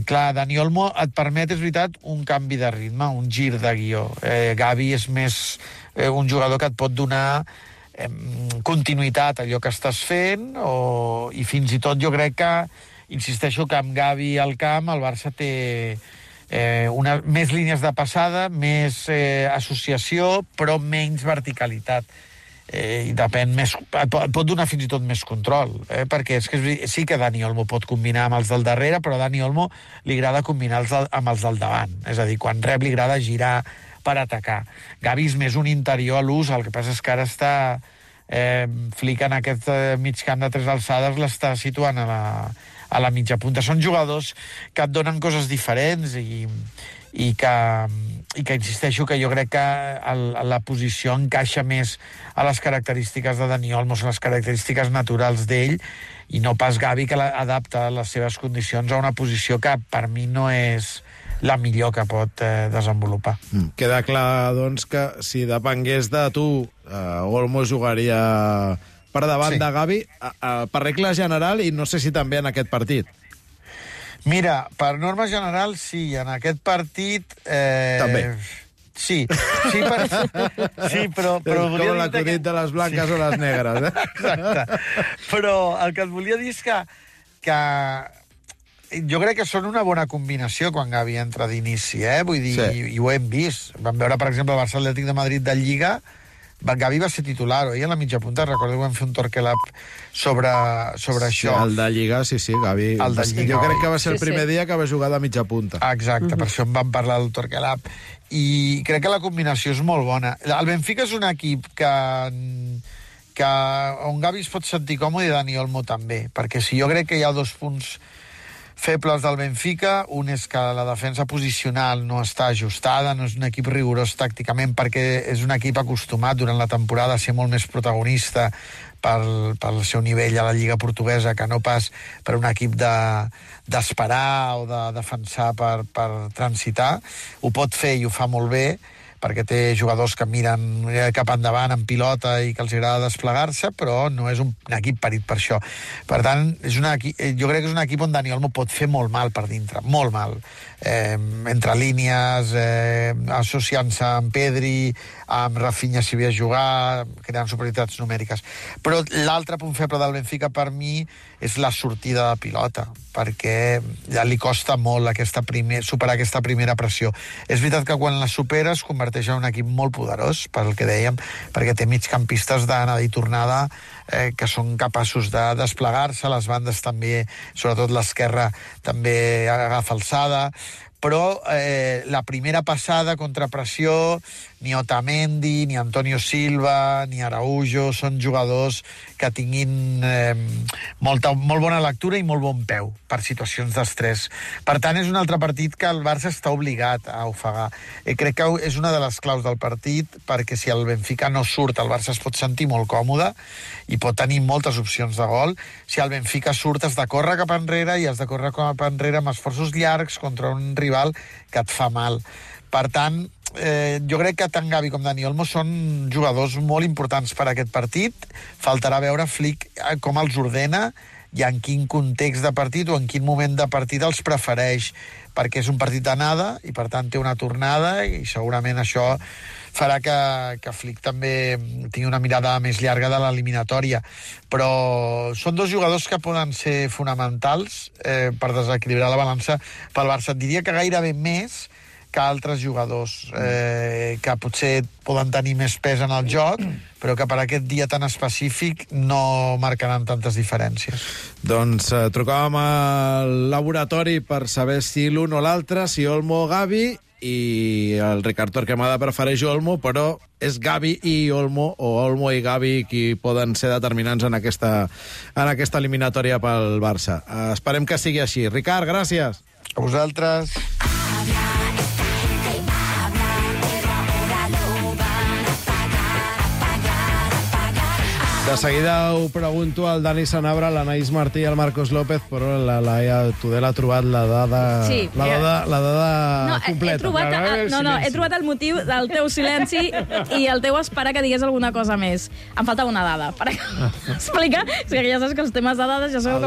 Speaker 13: Clar, Dani Olmo et permet, és veritat, un canvi de ritme, un gir de guió. Gavi és més un jugador que et pot donar continuïtat a allò que estàs fent, i fins i tot jo crec que, insisteixo, que amb Gavi al camp el Barça té més línies de passada, més associació, però menys verticalitat. I depèn més, pot donar fins i tot més control, perquè és que sí que Dani Olmo pot combinar amb els del darrere, però a Dani Olmo li agrada combinar amb els del davant, és a dir, quan rep li agrada girar per atacar. Gavi és més un interior a l'ús, el que passa és que ara està Flick en aquest mig camp de 3 alçades l'està situant a la mitja punta. Són jugadors que et donen coses diferents i que insisteixo que jo crec que la posició encaixa més a les característiques de Dani Olmo, són les característiques naturals d'ell, i no pas Gavi, que adapta les seves condicions a una posició que per mi no és la millor que pot desenvolupar.
Speaker 2: Queda clar, doncs, que si depengués de tu, Olmo jugaria per davant de Gavi, per regla general, i no sé si també en aquest partit.
Speaker 13: Mira, per norma general, sí. En aquest partit...
Speaker 2: També.
Speaker 13: Sí, però
Speaker 2: com l'acudit de les blanques o les negres, eh?
Speaker 13: Exacte. Però el que et volia dir és que jo crec que són una bona combinació quan Gavi entra d'inici, Vull dir, i ho hem vist. Vam veure, per exemple, el Barça Atlètic de Madrid de Lliga, Gavi va ser titular, oi? A la mitja punta, recordo que vam fer un torquelab sobre això.
Speaker 2: El de Lliga, sí, Gavi. Jo crec que va ser el primer dia que va jugar de mitja punta.
Speaker 13: Exacte, per això en vam parlar del torquelab. I crec que la combinació és molt bona. El Benfica és un equip on Gavi es pot sentir còmode i Dani Olmo també, perquè si jo crec que hi ha 2 punts febles del Benfica, un és que la defensa posicional no està ajustada, no és un equip rigorós tàcticament, perquè és un equip acostumat durant la temporada a ser molt més protagonista pel seu nivell a la Lliga Portuguesa que no pas per un equip d'esperar o de defensar per transitar. Ho pot fer i ho fa molt bé, perquè té jugadors que miren cap endavant en pilota i que els agrada desplegar-se, però no és un equip parit per això. Per tant, jo crec que és un equip on Dani Olmo pot fer molt mal per dintre, molt mal. Entre línies, associant-se amb Pedri, amb Rafinha si ve a jugar, creant superioritats numèriques. Però l'altre punt feble del Benfica per mi és la sortida de pilota, perquè ja li costa molt superar aquesta primera pressió. És veritat que quan la supera es converteix en un equip molt poderós, pel que dèiem, perquè té migcampistes d'anada i tornada que són capaços de desplegar-se, les bandes també, sobretot l'esquerra, també agafa alçada, però la primera passada contra pressió, ni Otamendi, ni Antonio Silva, ni Araujo són jugadors que tinguin molt bona lectura i molt bon peu per situacions d'estrès. Per tant, és un altre partit que el Barça està obligat a ofegar. Crec que és una de les claus del partit, perquè si el Benfica no surt, el Barça es pot sentir molt còmode i pot tenir moltes opcions de gol. Si el Benfica surt, has de córrer cap enrere i has de córrer cap enrere amb esforços llargs contra un rival que et fa mal. Per tant, jo crec que tant Gavi com Dani Olmo són jugadors molt importants per a aquest partit. Faltarà veure Flick com els ordena i en quin context de partit o en quin moment de partit els prefereix, perquè és un partit d'anada i per tant té una tornada i segurament això farà que Flick també tingui una mirada més llarga de l'eliminatòria. Però són 2 jugadors que poden ser fonamentals per desequilibrar la balança pel Barça. Et diria que gairebé més que altres jugadors que potser poden tenir més pes en el joc, però que per aquest dia tan específic no marcaran tantes diferències.
Speaker 2: Doncs trucàvem al laboratori per saber si l'un o l'altre, si Olmo o Gavi, i el Ricard Torquemada prefereix Olmo, però és Gavi i Olmo, o Olmo i Gavi, qui poden ser determinants en aquesta eliminatòria pel Barça. Esperem que sigui així. Ricard, gràcies.
Speaker 13: A vosaltres.
Speaker 2: De seguida ho pregunto al Dani Sanabra, l'Anaïs Martí i al Marcos López, però la Laia Tudela ha trobat la dada,
Speaker 7: sí,
Speaker 2: la dada completa.
Speaker 7: He trobat el motiu del teu silenci i el teu esperar que digués alguna cosa més. Em falta una dada per explicar. O sigui, ja saps que els temes de dades ja sabeu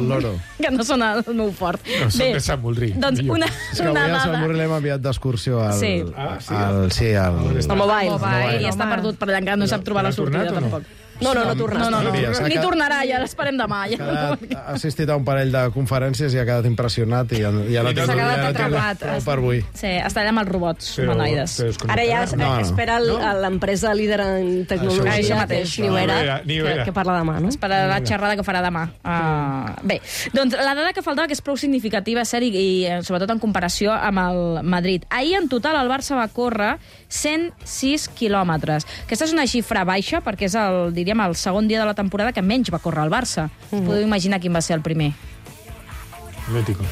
Speaker 7: que no són el meu fort.
Speaker 6: No, són de Sant Moldrí.
Speaker 7: Doncs una
Speaker 2: és que avui a Sant Moldrí l'hem enviat d'excursió al
Speaker 7: mobile. I està perdut per allà, encara no sap trobar la sortida, tampoc. No tornarà. Ni tornarà, ja l'esperem demà.
Speaker 2: Ha assistit a un parell de conferències i ha quedat impressionat i ja no té
Speaker 12: atrapat
Speaker 2: per avui.
Speaker 7: Sí, està allà amb els robots humanoides.
Speaker 4: Ara ja espera l'empresa líder en tecnologia,
Speaker 7: això mateix,
Speaker 4: que parla demà, no?
Speaker 7: Espera la xerrada que farà demà. Bé, doncs la dada que faltava, que és prou significativa, i sobretot en comparació amb el Madrid. Ahir, en total, el Barça va córrer 106 quilòmetres. Aquesta és una xifra baixa, perquè és el segon dia de la temporada que menys va córrer el Barça. Podeu imaginar quin va ser el primer?
Speaker 6: Atlético.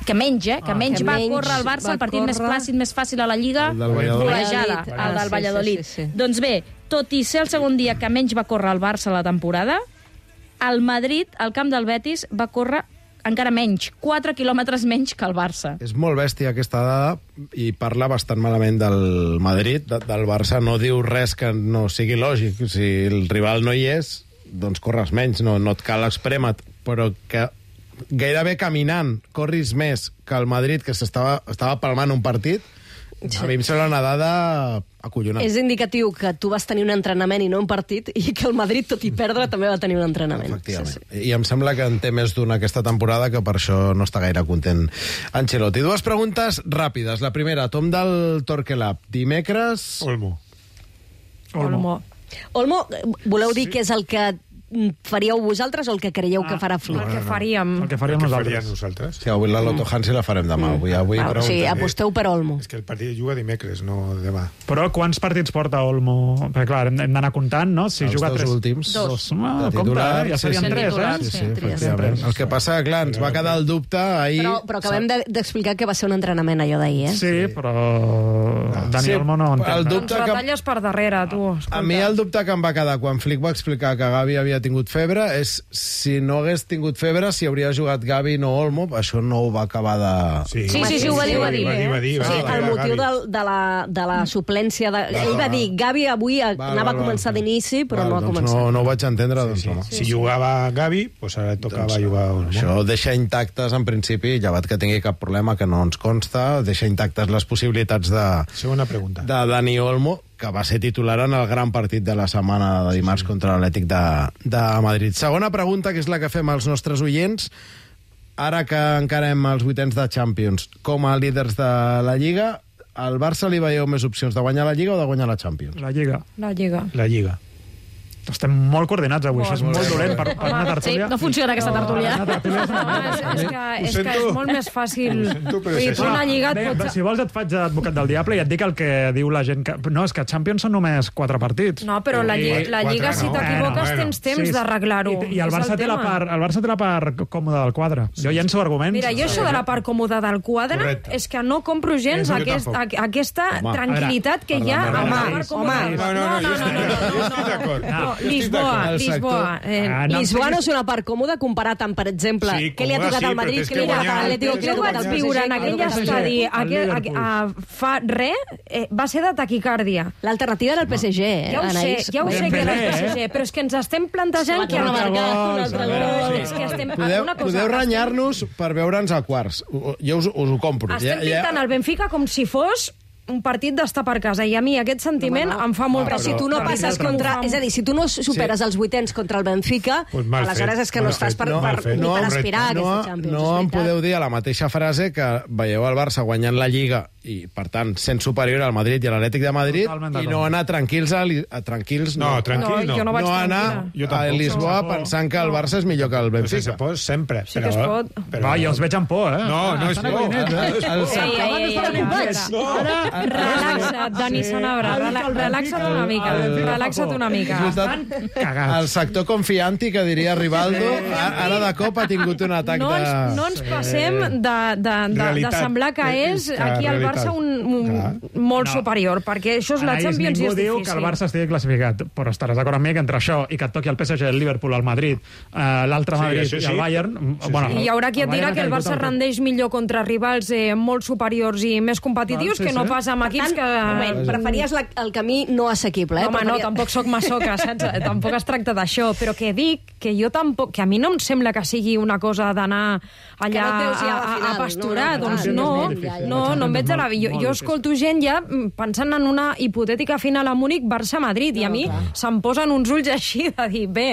Speaker 7: Que menys va córrer el Barça, el partit més plàcid, més fàcil a la Lliga, golejada, el del Valladolid. Doncs bé, tot i ser el segon dia que menys va córrer el Barça a la temporada, el Madrid, al camp del Betis, va córrer encara menys, 4 quilòmetres menys que el Barça.
Speaker 2: És molt bèstia aquesta dada i parla bastant malament del Madrid, del Barça. No diu res que no sigui lògic. Si el rival no hi és, doncs corres menys, no et cal esprémer, però que gairebé caminant corris més que el Madrid, que estava palmant un partit, a mi em sembla una dada acollonant.
Speaker 4: És indicatiu que tu vas tenir un entrenament i no un partit, i que el Madrid, tot i perdre, també va tenir un entrenament.
Speaker 2: Efectivament. Sí. I em sembla que en té més d'una aquesta temporada, que per això no està gaire content Ancelotti. Dues preguntes ràpides. La primera, Tom del Torquelab. Dimecres...
Speaker 6: Olmo.
Speaker 4: Olmo, voleu dir que és el que faríeu vosaltres o el que creieu que farà Flick?
Speaker 12: El que faríem.
Speaker 5: El que faríem nosaltres.
Speaker 2: Sí, avui la Loto Hansi la farem demà.
Speaker 4: O sigui, aposteu per Olmo.
Speaker 6: És que el partit juga dimecres, no demà.
Speaker 5: Però quants partits porta Olmo? Perquè, clar, hem d'anar comptant, no? Si
Speaker 2: Els
Speaker 5: juga
Speaker 2: dos
Speaker 5: 3...
Speaker 2: últims.
Speaker 5: Dos.
Speaker 2: De
Speaker 5: Compte,
Speaker 2: titular,
Speaker 5: ja serien
Speaker 2: sí,
Speaker 5: 3, eh?
Speaker 2: Sí, efectivament. El que passa, clar, ens va quedar el dubte ahir...
Speaker 4: Però acabem d'explicar que va ser un entrenament allò d'ahir, eh?
Speaker 5: Sí, però Dani Olmo no entén.
Speaker 12: Ens retalles per darrere, tu.
Speaker 2: A mi el dubte que em va quedar quan Flick va explicar que Gavi havia tingut febre és si no hagués tingut febre, si hauria jugat Gavi no Olmo. Això no ho va acabar de...
Speaker 4: Sí, ho va dir. El motiu de la suplència... Ell va dir, Gavi avui anava a començar d'inici, però no ha començat.
Speaker 2: No ho vaig entendre.
Speaker 6: Si jugava Gavi, doncs ara tocava jugar Olmo.
Speaker 2: Això deixa intactes, en principi, llevat que tingui cap problema, que no ens consta, deixa intactes les possibilitats de...
Speaker 6: Segona pregunta.
Speaker 2: De Dani Olmo, que va ser titular en el gran partit de la setmana de dimarts contra l'Atlètic de Madrid. Segona pregunta, que és la que fem als nostres oients. Ara que encarem els vuitens de Champions, com a líders de la Lliga, al Barça li veieu més opcions de guanyar la Lliga o de guanyar la Champions?
Speaker 5: La Lliga.
Speaker 6: La Lliga.
Speaker 5: Estem molt coordinats avui, això és molt dolent per una tertúlia.
Speaker 7: Sí, no funciona aquesta tertúlia.
Speaker 12: És que és molt més fàcil. Una lliga...
Speaker 5: Si vols et faig d'advocat del diable i et dic el que diu la gent... No, és que Champions són només 4 partits.
Speaker 12: No, però la lliga, si t'equivoques, tens temps d'arreglar-ho.
Speaker 5: I el Barça té la part còmoda del quadre. Jo llenço arguments.
Speaker 12: Mira, jo això de la part còmoda del quadre és que no compro gens aquesta tranquil·litat que hi ha a la part còmoda.
Speaker 4: No, Lisboa. Lisboa no és una part còmoda comparat amb, per exemple, què li ha tocat al Madrid, què li ha tocat a l'Atlético, què li ha tocat al PSG.
Speaker 12: Viure en aquell estadi fa res, va ser de taquicàrdia.
Speaker 4: L'alternativa era el PSG, Anaïs.
Speaker 12: Ja ho sé que era el PSG, però és que ens estem plantejant que...
Speaker 2: Podeu renyar-nos per veure'ns a quarts. Jo us ho compro.
Speaker 12: Estem pintant el Benfica com si fos un partit d'estar per casa, i a mi aquest sentiment em fa molt...
Speaker 4: Però si tu no passes contra... És a dir, si tu no superes els vuitens contra el Benfica, aleshores és que no estàs ni per aspirar a aquesta Champions.
Speaker 2: No em podeu dir a la mateixa frase que veieu el Barça guanyant la Lliga i, per tant, sent superior al Madrid i a l'Atlètic de Madrid, i no anar tranquils no anar a Lisboa pensant que el Barça és millor que el Benfica.
Speaker 6: Sempre.
Speaker 12: Sí que es pot.
Speaker 5: I els veig amb por, eh?
Speaker 6: No és por.
Speaker 12: Relaxa't, Dani Sanabra, relaxa't una mica.
Speaker 2: El sector confianti, que diria Rivaldo, ara de cop ha tingut un atac de...
Speaker 12: No ens passem de semblar que és aquí el Barça molt superior, perquè això és la Champions i és difícil.
Speaker 5: Ningú diu que el Barça estigui classificat, però estaràs d'acord amb mi que entre això i que et toqui el PSG, el Liverpool, el Madrid, l'altre Madrid i el Bayern...
Speaker 12: I hi haurà qui et dirà que el Barça rendeix millor contra rivals molt superiors i més competitius que no pas amb equips que...
Speaker 4: Preferies el camí no assequible, eh?
Speaker 12: Home, no, tampoc soc masoca, saps? Tampoc es tracta d'això, però que dic que jo tampoc... Que a mi no em sembla que sigui una cosa d'anar allà a pasturar, doncs no em veig a la... Jo escolto gent ja pensant en una hipotètica final a Múnich Barça-Madrid, i a mi se'm posen uns ulls així de dir, bé,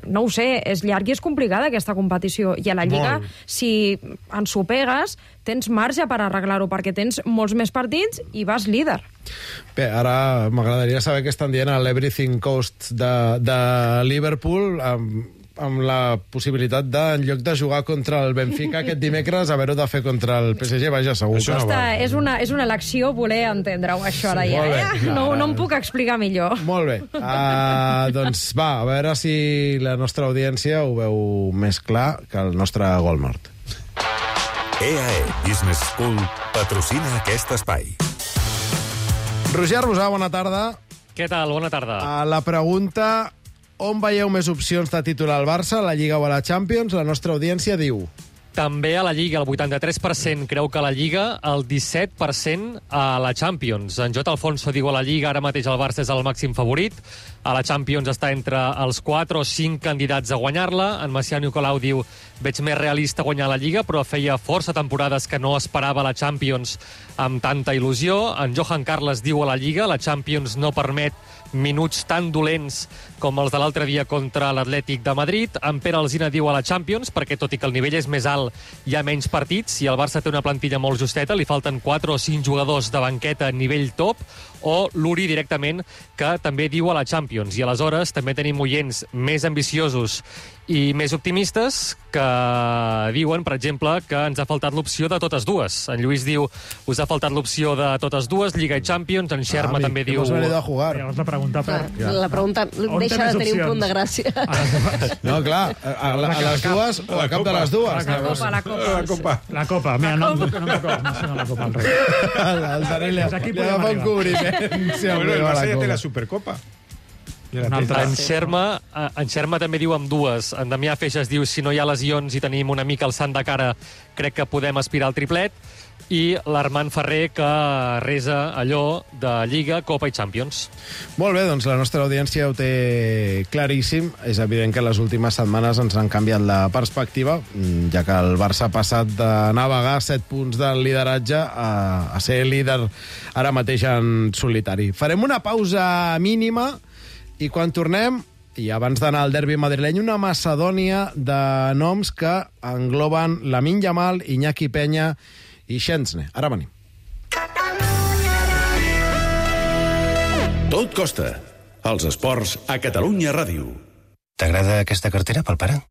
Speaker 12: no ho sé, és llarg i és complicada aquesta competició, i a la Lliga, si ensopegues, tens marge per arreglar-ho, perquè tens molts més partits i vas líder.
Speaker 2: Bé, ara m'agradaria saber què estan dient a l'Everything Coast de Liverpool, amb la possibilitat de, en lloc de jugar contra el Benfica aquest dimecres, haver-ho de fer contra el PSG, vaja, segur que...
Speaker 12: És una elecció voler entendre-ho, això ara ja. No em puc explicar millor.
Speaker 2: Molt bé. Doncs va, a veure si la nostra audiència ho veu més clar que el nostre Gol Nord.
Speaker 1: EAE Business School patrocina aquest espai.
Speaker 2: Roger Rosà, bona tarda.
Speaker 14: Què tal? Bona tarda.
Speaker 2: La pregunta: on veieu més opcions de titular al Barça, a la Lliga o a la Champions? La nostra audiència diu...
Speaker 14: també a la Lliga, el 83% creu que a la Lliga, el 17% a la Champions. En Jota Alfonso diu a la Lliga, ara mateix el Barça és el màxim favorit. A la Champions està entre els 4 o 5 candidats a guanyar-la. En Macià Nicolau diu, veig més realista guanyar la Lliga, però feia força temporades que no esperava la Champions amb tanta il·lusió. En Johan Carles diu a la Lliga, la Champions no permet minuts tan dolents com els de l'altre dia contra l'Atlètic de Madrid. En Pere Alsina diu a la Champions, perquè tot i que el nivell és més alt, hi ha menys partits, i el Barça té una plantilla molt justeta, li falten 4 o 5 jugadors de banqueta a nivell top, o l'Uri directament, que també diu a la Champions. I aleshores també tenim oients més ambiciosos i més optimistes que diuen, per exemple, que ens ha faltat l'opció de totes dues. En Lluís diu, us ha faltat l'opció de totes dues, Lliga i Champions. En Xerma també diu...
Speaker 2: Hemos venido a jugar.
Speaker 5: Llavors la pregunta per...
Speaker 4: La pregunta deixa de tenir un punt de gràcia.
Speaker 2: No, clar, a les dues o a cap de les dues.
Speaker 5: La Copa. Mira, no la Copa al Rei.
Speaker 2: El Dani li agafa un cobriment.
Speaker 6: Bueno, el Barça ja té la Supercopa.
Speaker 14: En Xerma també diu amb dues. En Damià Feixes diu, si no hi ha lesions i tenim una mica el sant de cara, crec que podem aspirar al triplet. I l'Armand Ferrer, que resa allò de Lliga, Copa i Champions.
Speaker 2: Molt bé, doncs la nostra audiència ho té claríssim. És evident que les últimes setmanes ens han canviat la perspectiva, ja que el Barça ha passat de navegar 7 punts del lideratge a ser líder ara mateix en solitari. Farem una pausa mínima i quan tornem, i abans d'anar al derbi madrileny, una macedònia de noms que engloben Lamine Yamal, Iñaki Peña i Szczęsny. Ara venim.
Speaker 1: Tot costa. Els esports a Catalunya Ràdio.
Speaker 15: T'agrada aquesta cartera pel pare?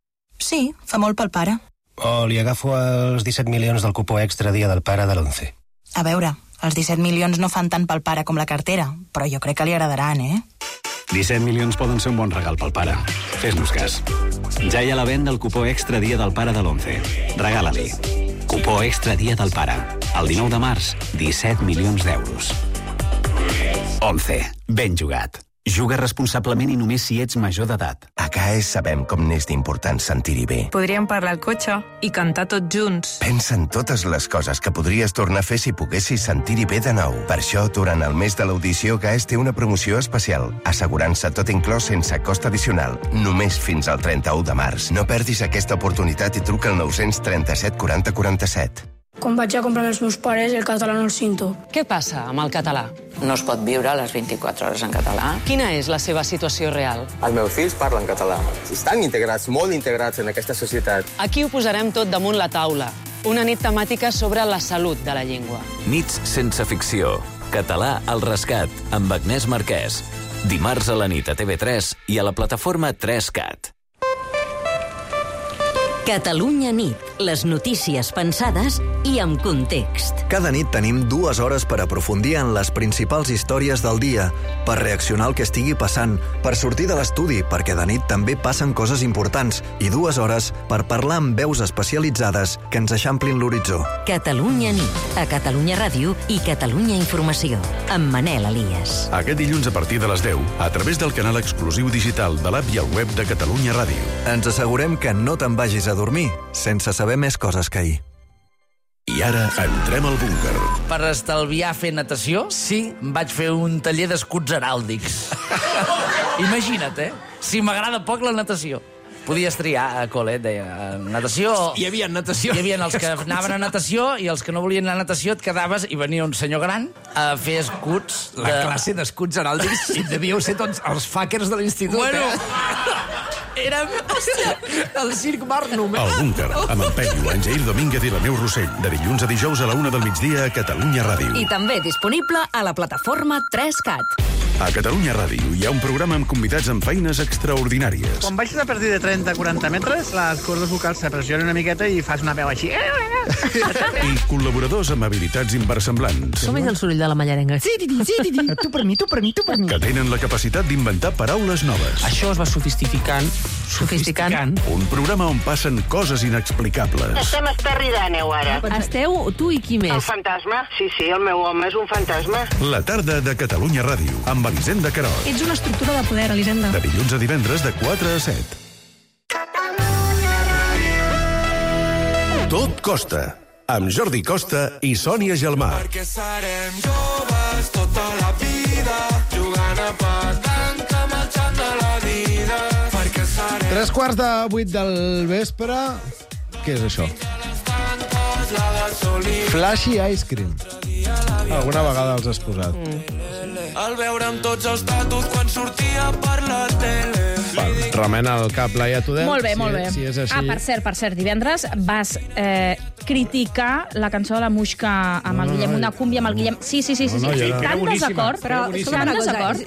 Speaker 16: Sí, fa molt pel pare.
Speaker 15: O li agafo els 17 milions del cupó extra dia del pare de l'11?
Speaker 16: A veure, els 17 milions no fan tant pel pare com la cartera, però jo crec que li agradaran,
Speaker 3: 17 milions poden ser un bon regal pel pare. Fes-nos cas. Ja hi ha la venda el cupó extra dia del pare de l'11. Regala-li. Cupó extra dia del pare. El 19 de març, 17 milions d'euros. 11. Ben jugat. Juga responsablement i només si ets major d'edat.
Speaker 17: A CAES sabem com n'és d'important sentir-hi bé.
Speaker 18: Podríem parlar al cotxe i cantar tots junts.
Speaker 17: Pensa en totes les coses que podries tornar a fer si poguessis sentir-hi bé de nou. Per això, durant el mes de l'audició, CAES té una promoció especial. Assegurança tot inclòs sense cost addicional. Només fins al 31 de març. No perdis aquesta oportunitat i truca al 937 40 47.
Speaker 19: Quan vaig a comprar els meus pares, el català no el cinto.
Speaker 20: Què passa amb el català?
Speaker 21: No es pot viure les 24 hores en català.
Speaker 20: Quina és la seva situació real?
Speaker 22: Els meus fills parlen català. Estan integrats, molt integrats en aquesta societat.
Speaker 20: Aquí ho posarem tot damunt la taula. Una nit temàtica sobre la salut de la llengua.
Speaker 23: Nits sense ficció. Català al rescat, amb Agnès Marquès. Dimarts a la nit a TV3 i a la plataforma 3CAT.
Speaker 24: Catalunya nit. Les notícies pensades i amb context.
Speaker 25: Cada nit tenim 2 hores per aprofundir en les principals històries del dia, per reaccionar al que estigui passant, per sortir de l'estudi, perquè de nit també passen coses importants, i 2 hores per parlar amb veus especialitzades que ens eixamplin l'horitzó.
Speaker 24: Catalunya nit. A Catalunya Ràdio i Catalunya Informació. Amb Manel Elias.
Speaker 1: Aquest dilluns a partir de les 10, a través del canal exclusiu digital de l'app i el web de Catalunya Ràdio.
Speaker 25: Ens assegurem que no te'n vagis a dormir sense saber més coses que ahir.
Speaker 1: I ara entrem al búnquer.
Speaker 26: Per estalviar fer natació, sí, vaig fer un taller d'escuts heràldics. Imagina't, si m'agrada poc la natació. Podies triar a col·le, deia, natació...
Speaker 27: Hi havia natació.
Speaker 26: Hi havia els que anaven a natació i els que no volien anar a natació et quedaves i venia un senyor gran a fer escuts...
Speaker 27: La classe d'escuts heràldics i devíeu ser tots els fuckers de l'institut,
Speaker 26: Bueno, érem el Circ Barnum.
Speaker 1: El búnquer, amb en Peyu, en Jair Domínguez i la Neu Rossell. De dilluns a dijous a la 1 del migdia a Catalunya Ràdio.
Speaker 24: I també disponible a la plataforma 3CAT.
Speaker 1: A Catalunya Ràdio hi ha un programa amb convidats amb feines extraordinàries.
Speaker 28: Quan baixes a partir de 30-40 metres, les cordes vocals s'apressionen una miqueta i fas una veu així.
Speaker 1: I col·laboradors amb habilitats inversemblants.
Speaker 24: Com és el soroll de la mallarenga?
Speaker 28: Tu per mi, tu per mi, tu per mi.
Speaker 1: Que tenen la capacitat d'inventar paraules noves.
Speaker 28: Això es va sofisticant.
Speaker 1: Un programa on passen coses inexplicables.
Speaker 29: Estem a Esterri d'Àneu, ara.
Speaker 24: Esteu tu i qui més?
Speaker 29: El fantasma. Sí, el meu home és un fantasma.
Speaker 1: La tarda de Catalunya Ràdio, amb Elisenda Querol.
Speaker 19: Ets una estructura de poder, Elisenda.
Speaker 1: De dilluns a divendres de 4 a 7. Tot costa, amb Jordi Costa i Sònia Gelmà.
Speaker 4: Perquè serem joves tota la vida, jugant a petanca, marxant de la vida. Perquè serem...
Speaker 2: 7:45 del vespre. Què és això? Flashy Ice Cream. Alguna vegada els has posat.
Speaker 4: Al veure'm tots els tatus quan sortia per la tele.
Speaker 2: Remena el cap, Laia Tudel.
Speaker 5: Molt bé, molt bé.
Speaker 2: Si és així...
Speaker 5: per cert, divendres vas criticar la cançó de la Muixca amb el Guillem, una cúmbia amb el Guillem. Sí. Tan desacord, però tan desacord.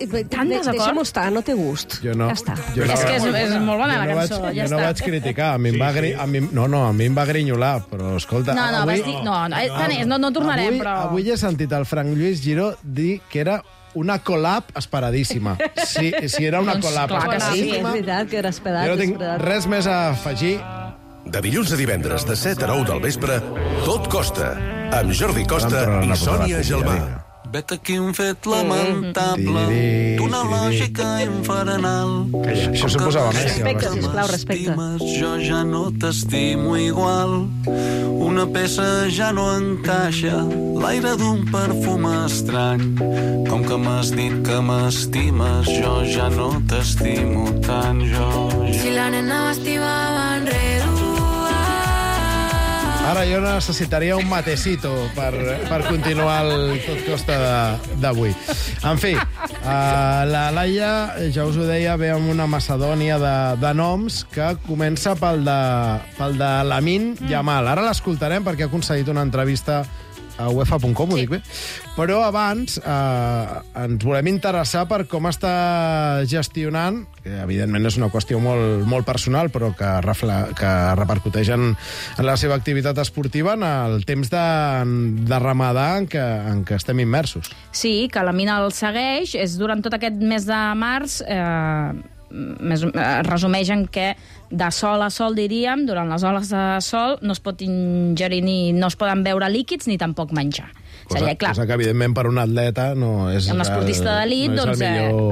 Speaker 7: Deixa'm estar, no té gust.
Speaker 2: Jo no.
Speaker 7: Ja està.
Speaker 5: És que és molt bona la cançó, ja està.
Speaker 2: Jo no vaig criticar, a mi em va grinyolar, però escolta...
Speaker 5: No tornarem, però...
Speaker 2: Avui he sentit el Frank Lluís Giró dir que era una collab esperadíssima. Si era una collab esperadíssima...
Speaker 7: Sí, és veritat que era esperat.
Speaker 2: Jo no tinc res més a afegir.
Speaker 1: De dilluns a divendres, de 7 a 9 del vespre, Tot costa, amb Jordi Costa i Sònia Gelmà.
Speaker 4: Vet aquí un fet lamentable d'una lògica infernal.
Speaker 2: Això s'ho posava més.
Speaker 7: Respecte, sisplau, respecte.
Speaker 4: Jo ja no t'estimo igual. Una peça ja no encaixa, l'aire d'un perfum estrany. Com que m'has dit que m'estimes, jo ja no t'estimo tant,
Speaker 8: Si la nena m'estimava enredua.
Speaker 2: Ara jo necessitaria un matecito per continuar el Tot costa d'avui. En fi, la Laia, ja us ho deia, ve amb una macedònia de noms que comença pel de Lamine Yamal. Ara l'escoltarem perquè ha concedit una entrevista a UEFA.com, ho dic bé? Però abans ens volem interessar per com està gestionant, que evidentment és una qüestió molt personal, però que repercuteix en la seva activitat esportiva, en el temps de Ramadà en què estem immersos.
Speaker 5: Sí, que la mina el segueix. És durant tot aquest mes de març... resumeix en què de sol a sol, diríem, durant les hores de sol no es pot ingerir no es poden beure líquids ni tampoc menjar.
Speaker 2: Cosa que, evidentment, per un atleta no és...
Speaker 5: Un esportista d'elit, doncs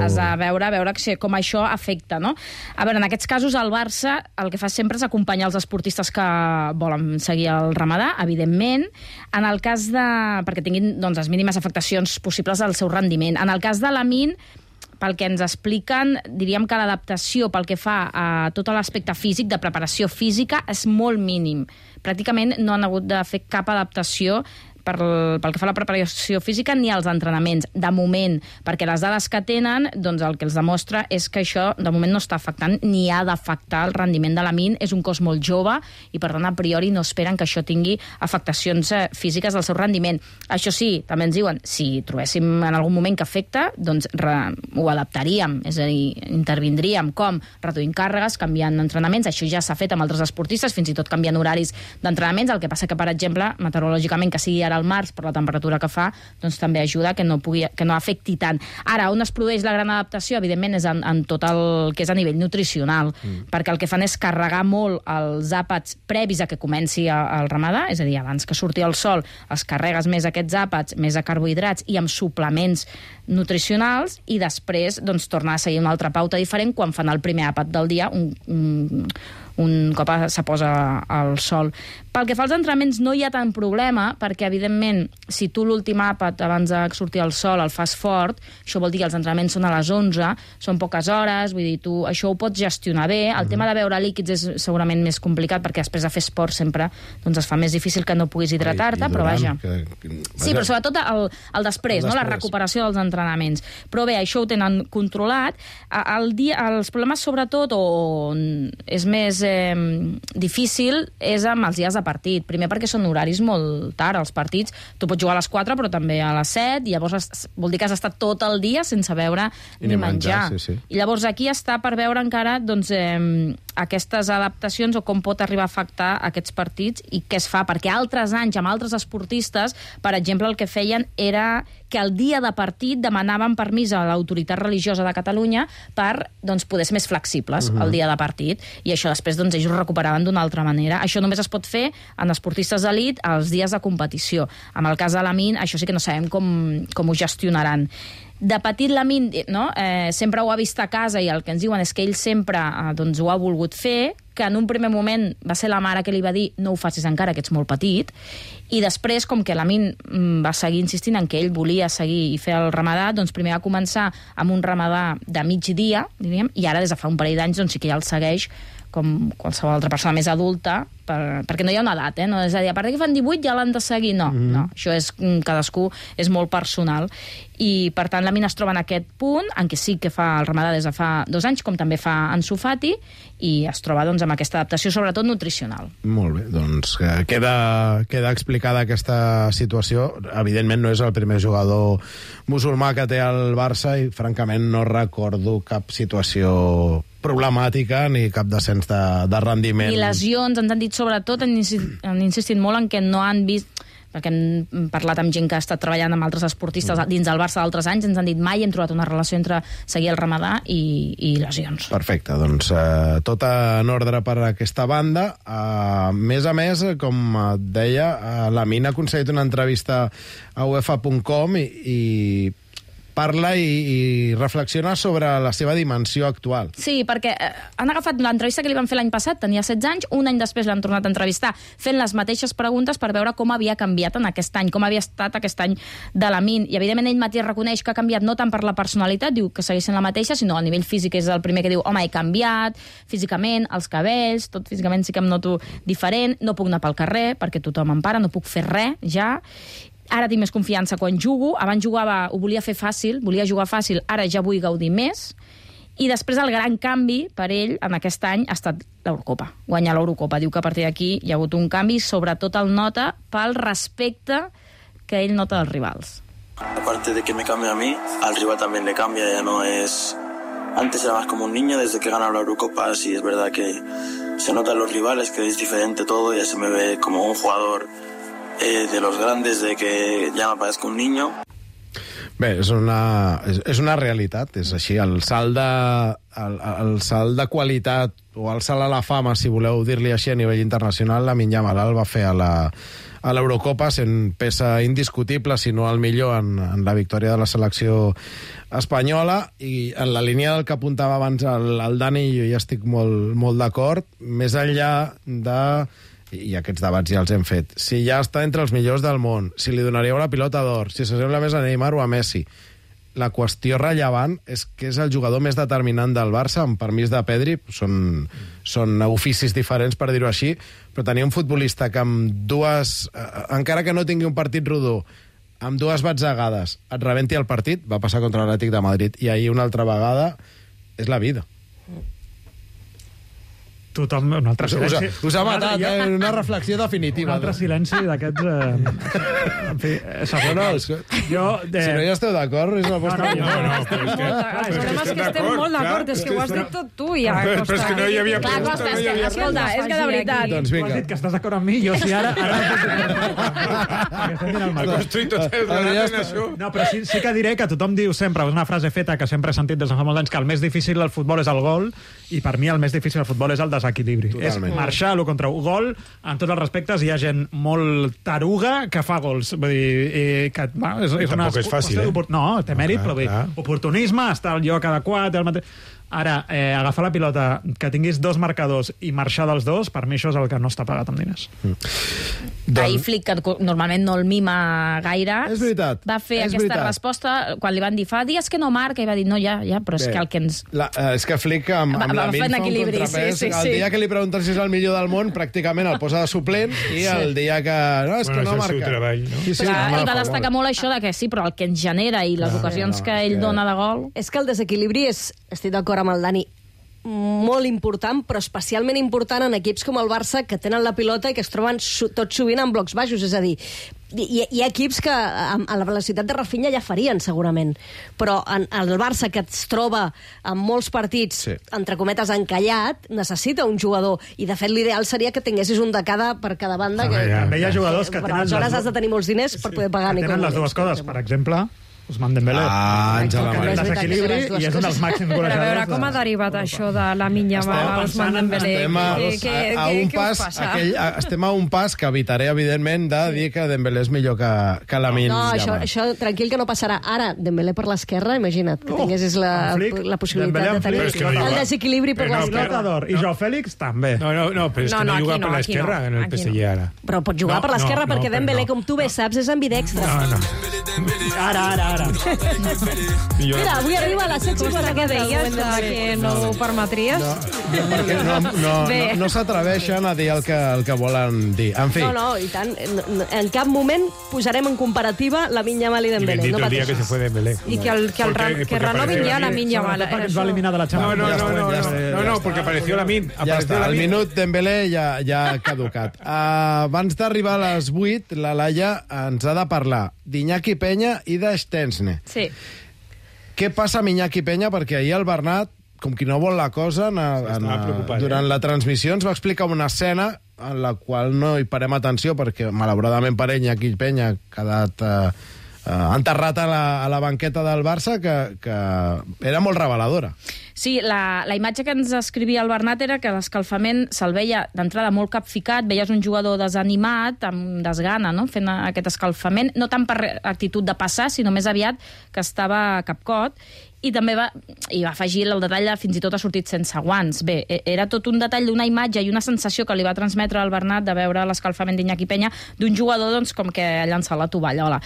Speaker 5: has de veure com això afecta, no? A veure, en aquests casos, el Barça el que fa sempre és acompanyar els esportistes que volen seguir el Ramadà, evidentment, en el cas de... perquè tinguin les mínimes afectacions possibles al seu rendiment. En el cas de Lamine, pel que ens expliquen, diríem que l'adaptació pel que fa a tot l'aspecte físic, de preparació física, és molt mínim. Pràcticament no han hagut de fer cap adaptació pel que fa a la preparació física ni als entrenaments, de moment, perquè les dades que tenen, doncs el que els demostra és que això de moment no està afectant ni ha d'afectar el rendiment de Lamine. És un cos molt jove i, per tant, a priori no esperen que això tingui afectacions físiques del seu rendiment. Això sí, també ens diuen, si trobéssim en algun moment que afecta, doncs ho adaptaríem, és a dir, intervindríem com reduint càrregues, canviant entrenaments. Això ja s'ha fet amb altres esportistes, fins i tot canviant horaris d'entrenaments. El que passa que, per exemple, meteorològicament, que sigui ara al març, per la temperatura que fa, doncs també ajuda que no afecti tant. Ara, on es produeix la gran adaptació, evidentment, és en tot el que és a nivell nutricional, perquè el que fan és carregar molt els àpats previs a que comenci el Ramadà, és a dir, abans que surti el sol, els carregues més aquests àpats, més a carbohidrats i amb suplements nutricionals, i després doncs tornar a seguir una altra pauta diferent quan fan el primer àpat del dia, un cop se posa al sol. Pel que fa als entrenaments no hi ha tant problema, perquè evidentment si tu l'últim àpat abans de sortir al sol el fas fort, això vol dir que els entrenaments són a les 11, són poques hores, vull dir, tu això ho pots gestionar bé. El tema de beure líquids és segurament més complicat, perquè després de fer esport sempre doncs es fa més difícil que no puguis hidratar-te, però vaja. Sí, però sobretot el després, no? La recuperació dels entrenaments. Però bé, això ho tenen controlat. Els problemes sobretot, on és més difícil, és amb els dies de partit. Primer perquè són horaris molt tard, els partits. Tu pots jugar a les 4, però també a les 7, i llavors vol dir que has estat tot el dia sense beure ni menjar. Sí. I llavors aquí està per veure encara doncs, aquestes adaptacions o com pot arribar a afectar aquests partits i què es fa, perquè altres anys amb altres esportistes, per exemple, el que feien era que el dia de partit demanaven permís a l'autoritat religiosa de Catalunya per doncs, poder ser més flexibles el dia de partit, i això després doncs, ells ho recuperaven d'una altra manera. Això només es pot fer en esportistes d'elit els dies de competició. En el cas de Lamine, això sí que no sabem com ho gestionaran. De petit Lamine sempre ho ha vist a casa i el que ens diuen és que ell sempre ho ha volgut fer, que en un primer moment va ser la mare que li va dir no ho facis encara, que ets molt petit, i després, com que Lamine va seguir insistint en que ell volia seguir i fer el ramadà, doncs primer va començar amb un ramadà de migdia, diríem, i ara des de fa un parell d'anys sí que ja el segueix com qualsevol altra persona més adulta, perquè no hi ha una edat, no? És a dir, a part que fan 18 ja l'han de seguir, no. Això és, cadascú és molt personal. I, per tant, Lamine es troba en aquest punt, en què sí que fa el ramadà des de fa 2 anys, com també fa Ansu Fati, i es troba amb aquesta adaptació, sobretot nutricional.
Speaker 2: Molt bé, doncs queda explicada aquesta situació. Evidentment no és el primer jugador musulmà que té el Barça i, francament, no recordo cap situació problemàtica ni cap descens de rendiment.
Speaker 5: Ni lesions, ens han dit sobretot, han insistit molt en que no han vist, perquè hem parlat amb gent que ha estat treballant amb altres esportistes dins del Barça d'altres anys, ens han dit mai hem trobat una relació entre seguir el ramadà i lesions.
Speaker 2: Perfecte, doncs tot en ordre per aquesta banda. A més, com et deia, Lamine ha aconseguit una entrevista a UEFA.com i parla i reflexiona sobre la seva dimensió actual.
Speaker 5: Sí, perquè han agafat l'entrevista que li van fer l'any passat, tenia 16 anys, un any després l'han tornat a entrevistar fent les mateixes preguntes per veure com havia canviat en aquest any, com havia estat aquest any de Lamine. I, evidentment, ell mateix reconeix que ha canviat no tant per la personalitat, diu que segueix sent la mateixa, sinó a nivell físic és el primer que diu, home, he canviat, físicament, els cabells, tot físicament sí que em noto diferent, no puc anar pel carrer perquè tothom em para, no puc fer res, ja. Ara tinc més confiança quan jugo, abans ho volia fer fàcil, volia jugar fàcil, ara ja vull gaudir més, i després el gran canvi per ell en aquest any ha estat l'Eurocopa, guanyar l'Eurocopa. Diu que a partir d'aquí hi ha hagut un canvi, sobretot el nota pel respecte que ell nota dels rivals.
Speaker 6: Aparte de que me cambia a mí, al rival también le cambia, ya no es... Antes era más como un niño, desde que ganó la Eurocopa, sí es verdad que se nota en los rivales, que es diferente todo, ya se me ve como un jugador... de los grandes, de que ja me parezco un niño.
Speaker 2: Bé, és una realitat, és així. El salt de qualitat o el salt a la fama, si voleu dir-li així a nivell internacional, Lamine Yamal el va fer a l'Eurocopa sent peça indiscutible, si no el millor en la victòria de la selecció espanyola, i en la línia del que apuntava abans el Dani, jo ja estic molt d'acord, més enllà de... i aquests debats ja els hem fet, si ja està entre els millors del món, si li donaríeu la pilota d'or, si s'assembla més a Neymar o a Messi. La qüestió rellevant és que és el jugador més determinant del Barça, amb permís de Pedri, són oficis diferents, per dir-ho així, però tenir un futbolista que amb dues, encara que no tingui un partit rodó, amb dues batzegades et rebenti el partit, va passar contra l'Atlètic de Madrid, i ahir una altra vegada és la vida.
Speaker 9: Tothom, un altre silenci.
Speaker 2: Us ha matat, una reflexió definitiva.
Speaker 9: Un altre silenci d'aquests... En fi, segons...
Speaker 2: Si no hi esteu d'acord, és la vostra...
Speaker 7: No, el problema és que estem molt d'acord, és que ho has dit tot tu, ja.
Speaker 6: Però és que no hi havia...
Speaker 5: Escolta, és que de veritat...
Speaker 2: Doncs
Speaker 9: vinga. Has dit que estàs d'acord amb mi, jo sí ara... No, però sí que diré que tothom diu sempre, és una frase feta que sempre he sentit des de fa molts anys, que el més difícil del futbol és el gol, i per mi el més difícil del futbol és el desequilibri.
Speaker 2: Totalment.
Speaker 9: És marxar a lo contra un gol, en tots els respectes hi ha gent molt taruga que fa gols. Vull dir, que, és
Speaker 6: tampoc és fàcil,
Speaker 9: No, té mèrit, però oportunisme, estar al lloc adequat, Ara, agafar la pilota, que tinguis dos marcadors i marxar dels dos, per mi això és el que no està pagat amb diners.
Speaker 5: Ahir Flick, que normalment no el mima gaire,
Speaker 2: és veritat,
Speaker 5: va fer aquesta resposta quan li van dir fa dies que no marca, i va dir no, ja, però és que el que ens...
Speaker 2: És que Flick amb Lamine fa un contrapès. El dia que li pregunten si és el millor del món, pràcticament el posa de suplent, i el dia que... No, és que no marca.
Speaker 5: Ell va destacar molt això de que sí, però el que ens genera i les ocasions que ell dona de gol...
Speaker 7: És que el desequilibri és, estic d'acord amb el Dani, molt important, però especialment important en equips com el Barça, que tenen la pilota i que es troben tot sovint en blocs baixos. És a dir, hi ha equips que a la velocitat de Rafinha ja farien, segurament. Però el Barça, que es troba en molts partits, entre cometes, encallat, necessita un jugador. I, de fet, l'ideal seria que tinguessis un de per cada banda.
Speaker 9: També hi ha jugadors que
Speaker 7: tenen... Aleshores has de tenir molts diners per poder pagar.
Speaker 9: Tenen les dues coses. Per exemple, Ousmane Dembélé.
Speaker 2: Àngela
Speaker 9: El desequilibri i és un dels màxims
Speaker 3: Però a veure
Speaker 9: golejadors.
Speaker 3: com ha derivat això de la Minya Yamal a Ousmane Dembélé.
Speaker 2: Estem a un pas que evitaré, evidentment, de dir que Dembélé és millor que Lamine Yamal.
Speaker 7: Això tranquil que no passarà. Ara, Dembélé per l'esquerra, imagina't, que tinguessis la possibilitat de tenir el desequilibri per l'esquerra.
Speaker 9: I Joao Fèlix també.
Speaker 10: No, però és que no juga per l'esquerra en el PSG ara.
Speaker 7: Però pot jugar per l'esquerra perquè Dembélé, com tu bé saps, és ambidextre.
Speaker 9: Ara.
Speaker 7: Mira, avui arriba a la secció
Speaker 3: que deies que no ho permetries.
Speaker 2: No s'atreveixen a dir el que volen dir. En fi.
Speaker 7: No, i tant. En cap moment posarem en comparativa la Minya Yamal i Dembélé.
Speaker 10: Bendito el día que se fue Dembélé.
Speaker 3: I que renovin ja la Minya Yamal.
Speaker 9: Es va eliminar de la Champions.
Speaker 10: No, porque apareció Lamine.
Speaker 2: Ja està, el minut Dembélé ja ha caducat. Abans d'arribar a les 8, la Laia ens ha de parlar d'Iñaki Peña i de Szczęsny.
Speaker 3: Sí.
Speaker 2: Què passa amb Iñaki Peña? Perquè ahir el Bernat, com qui no vol la cosa, durant la transmissió ens va explicar una escena en la qual no hi parem atenció perquè, malauradament per ell, Iñaki Peña ha quedat enterrat a la banqueta del Barça, que era molt reveladora.
Speaker 5: Sí, la imatge que ens escrivia el Bernat era que l'escalfament se'l veia d'entrada molt capficat, veies un jugador desanimat, amb desgana, no?, fent aquest escalfament, no tant per actitud de passar, sinó més aviat que estava capcot, i també va afegir el detall de fins i tot ha sortit sense guants. Bé, era tot un detall d'una imatge i una sensació que li va transmetre al Bernat de veure l'escalfament d'Iñaki Peña d'un jugador, doncs, com que ha llançat la tovallola.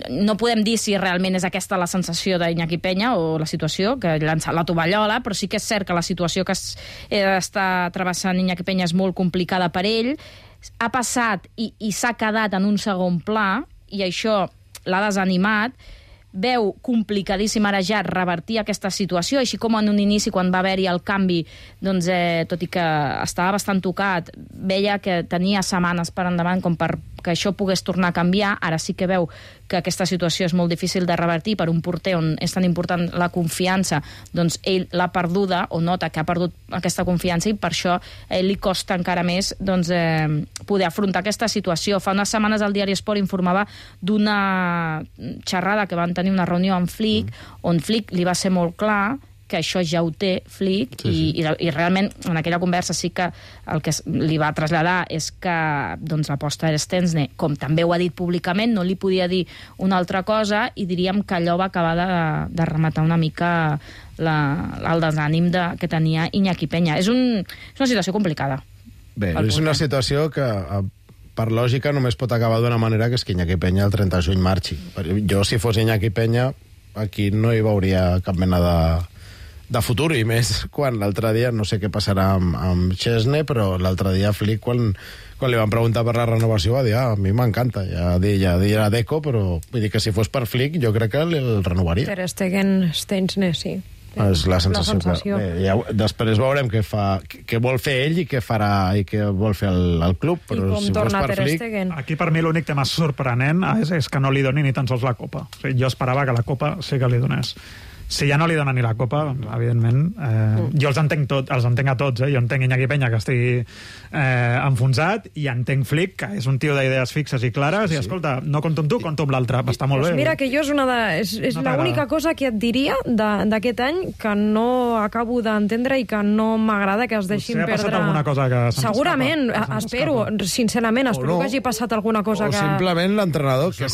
Speaker 5: No podem dir si realment és aquesta la sensació d'Iñaki Peña o la situació, que ha llançat la tovallola, però sí que és cert que la situació que està travessant Iñaki Peña és molt complicada per ell. Ha passat i s'ha quedat en un segon pla, i això l'ha desanimat. Veu complicadíssim ara ja revertir aquesta situació, així com en un inici, quan va haver-hi el canvi, doncs, tot i que estava bastant tocat, veia que tenia setmanes per endavant com per que això pogués tornar a canviar. Ara sí que veu que aquesta situació és molt difícil de revertir per un porter on és tan important la confiança, doncs ell l'ha perduda, o nota que ha perdut aquesta confiança, i per això a ell li costa encara més, doncs, poder afrontar aquesta situació. Fa unes setmanes el diari Esport informava d'una xerrada que van tenir, una reunió amb Flick, on Flick li va ser molt clar que això ja ho té Flick, i realment en aquella conversa sí que el que li va traslladar és que, doncs, l'aposta era Szczęsny, com també ho ha dit públicament, no li podia dir una altra cosa, i diríem que allò va acabar de rematar una mica el desànim que tenia Iñaki Peña. És una situació complicada.
Speaker 2: Bé, és una situació que per lògica només pot acabar d'una manera, que és que Iñaki Peña el 30 de juny marxi. Jo, si fos Iñaki Peña, aquí no hi veuria cap mena de futur, i més quan l'altre dia, no sé què passarà amb Szczęsny, però l'altre dia Flick, quan li van preguntar per la renovació, va dir, a mi m'encanta, ja dirà Deco, però vull dir que si fos per Flick jo crec que el renovaria.
Speaker 3: Ter Stegen, Szczęsny, sí.
Speaker 2: És la sensació. Bé, després veurem què vol fer ell i què farà i què vol fer el club, però si fos per Flick...
Speaker 9: Aquí per mi l'únic tema sorprenent és que no li doni ni tan sols la Copa. O sigui, jo esperava que la Copa sí que li donés. Si ja no li dona ni la Copa, evidentment, jo els entenc a tots, jo entenc Iñaki Peña, que estigui enfonsat, i entenc Flick, que és un tio d'idees fixes i clares, i escolta, no compto amb tu, compto amb l'altre, està molt bé.
Speaker 3: Mira que jo és l'única cosa que et diria d'aquest any que no acabo d'entendre i que no m'agrada que es deixin perdre.
Speaker 9: Potser ha passat alguna cosa que se'ns
Speaker 3: segurament, espero, sincerament, espero que hagi passat alguna cosa que...
Speaker 2: O simplement l'entrenador, que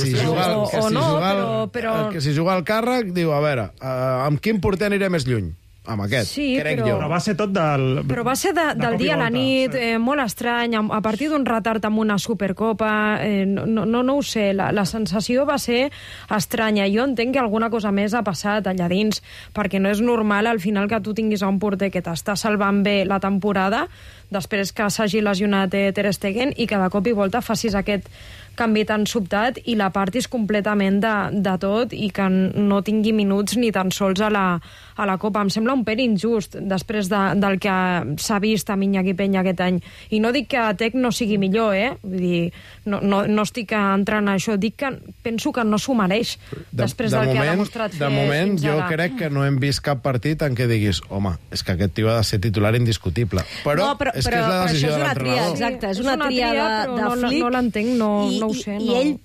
Speaker 2: si juga al càrrec, diu, a veure, amb quin porter aniré més lluny? Amb aquest, crec jo.
Speaker 9: Però va ser tot del
Speaker 3: del dia a la nit, molt estrany, a partir d'un retard amb una Supercopa, no ho sé, la sensació va ser estranya. Jo entenc que alguna cosa més ha passat allà dins, perquè no és normal al final que tu tinguis un porter que t'està salvant bé la temporada, després que s'hagi lesionat Ter Stegen, i que de cop i volta facis aquest canvi tan sobtat i la partis completament de tot, i que no tingui minuts ni tan sols a la Copa. Em sembla un pèl injust després del que s'ha vist a Iñaki Peña aquest any. I no dic que Tec no sigui millor, Vull dir, no estic entrant a això, dic que penso que no s'ho mereix després del que ha demostrat fer.
Speaker 2: De moment, jo crec que no hem vist cap partit en què diguis, home, és que aquest tio ha de ser titular indiscutible. Però és que és la decisió de l'entrenador.
Speaker 7: Exacte, és una tria de Flick.
Speaker 3: No l'entenc, no ho sé.
Speaker 7: I ell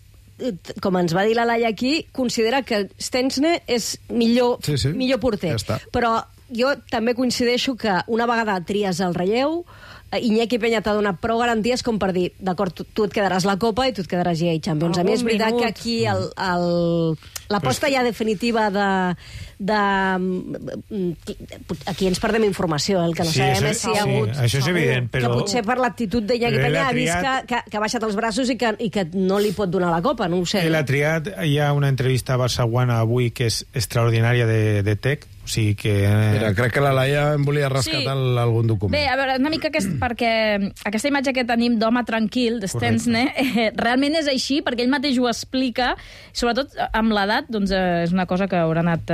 Speaker 7: com ens va dir la Laia aquí, considera que Stensne és millor porter.
Speaker 2: Ja està.
Speaker 7: Però jo també coincideixo que una vegada tries el relleu, Iñaki Peña t'ha donat prou garanties com per dir, d'acord, tu et quedaràs la Copa i tu et quedaràs GA Champions. A mi és veritat que aquí l'aposta ja definitiva aquí ens perdem informació, el que no sabem és si hi ha hagut...
Speaker 10: Això és evident, però...
Speaker 7: Que potser per l'actitud d'Iñaki Peña ha vist que ha baixat els braços i que no li pot donar la Copa, no ho sé.
Speaker 10: El ha triat, hi ha una entrevista a Barça One avui que és extraordinària de Tec, o sigui que...
Speaker 2: Mira, crec que la Laia em volia rescatar algun document.
Speaker 5: Bé, a veure, una mica perquè aquesta imatge que tenim d'home tranquil, de Stensne, realment és així, perquè ell mateix ho explica, sobretot amb l'edat, doncs és una cosa que haurà anat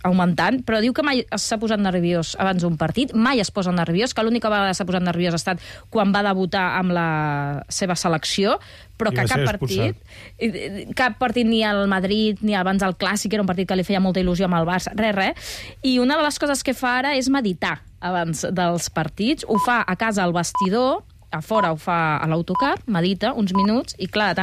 Speaker 5: augmentant, però diu que mai s'ha posat nerviós abans d'un partit, mai es posa nerviós, que l'única vegada s'ha posat nerviós ha estat quan va debutar amb la seva selecció, però que cap partit ni al Madrid ni abans del Clàssic, era un partit que li feia molta il·lusió amb el Barça, res. I una de les coses que fa ara és meditar abans dels partits. Ho fa a casa al vestidor, a fora ho fa a l'autocar, medita uns minuts, i clar,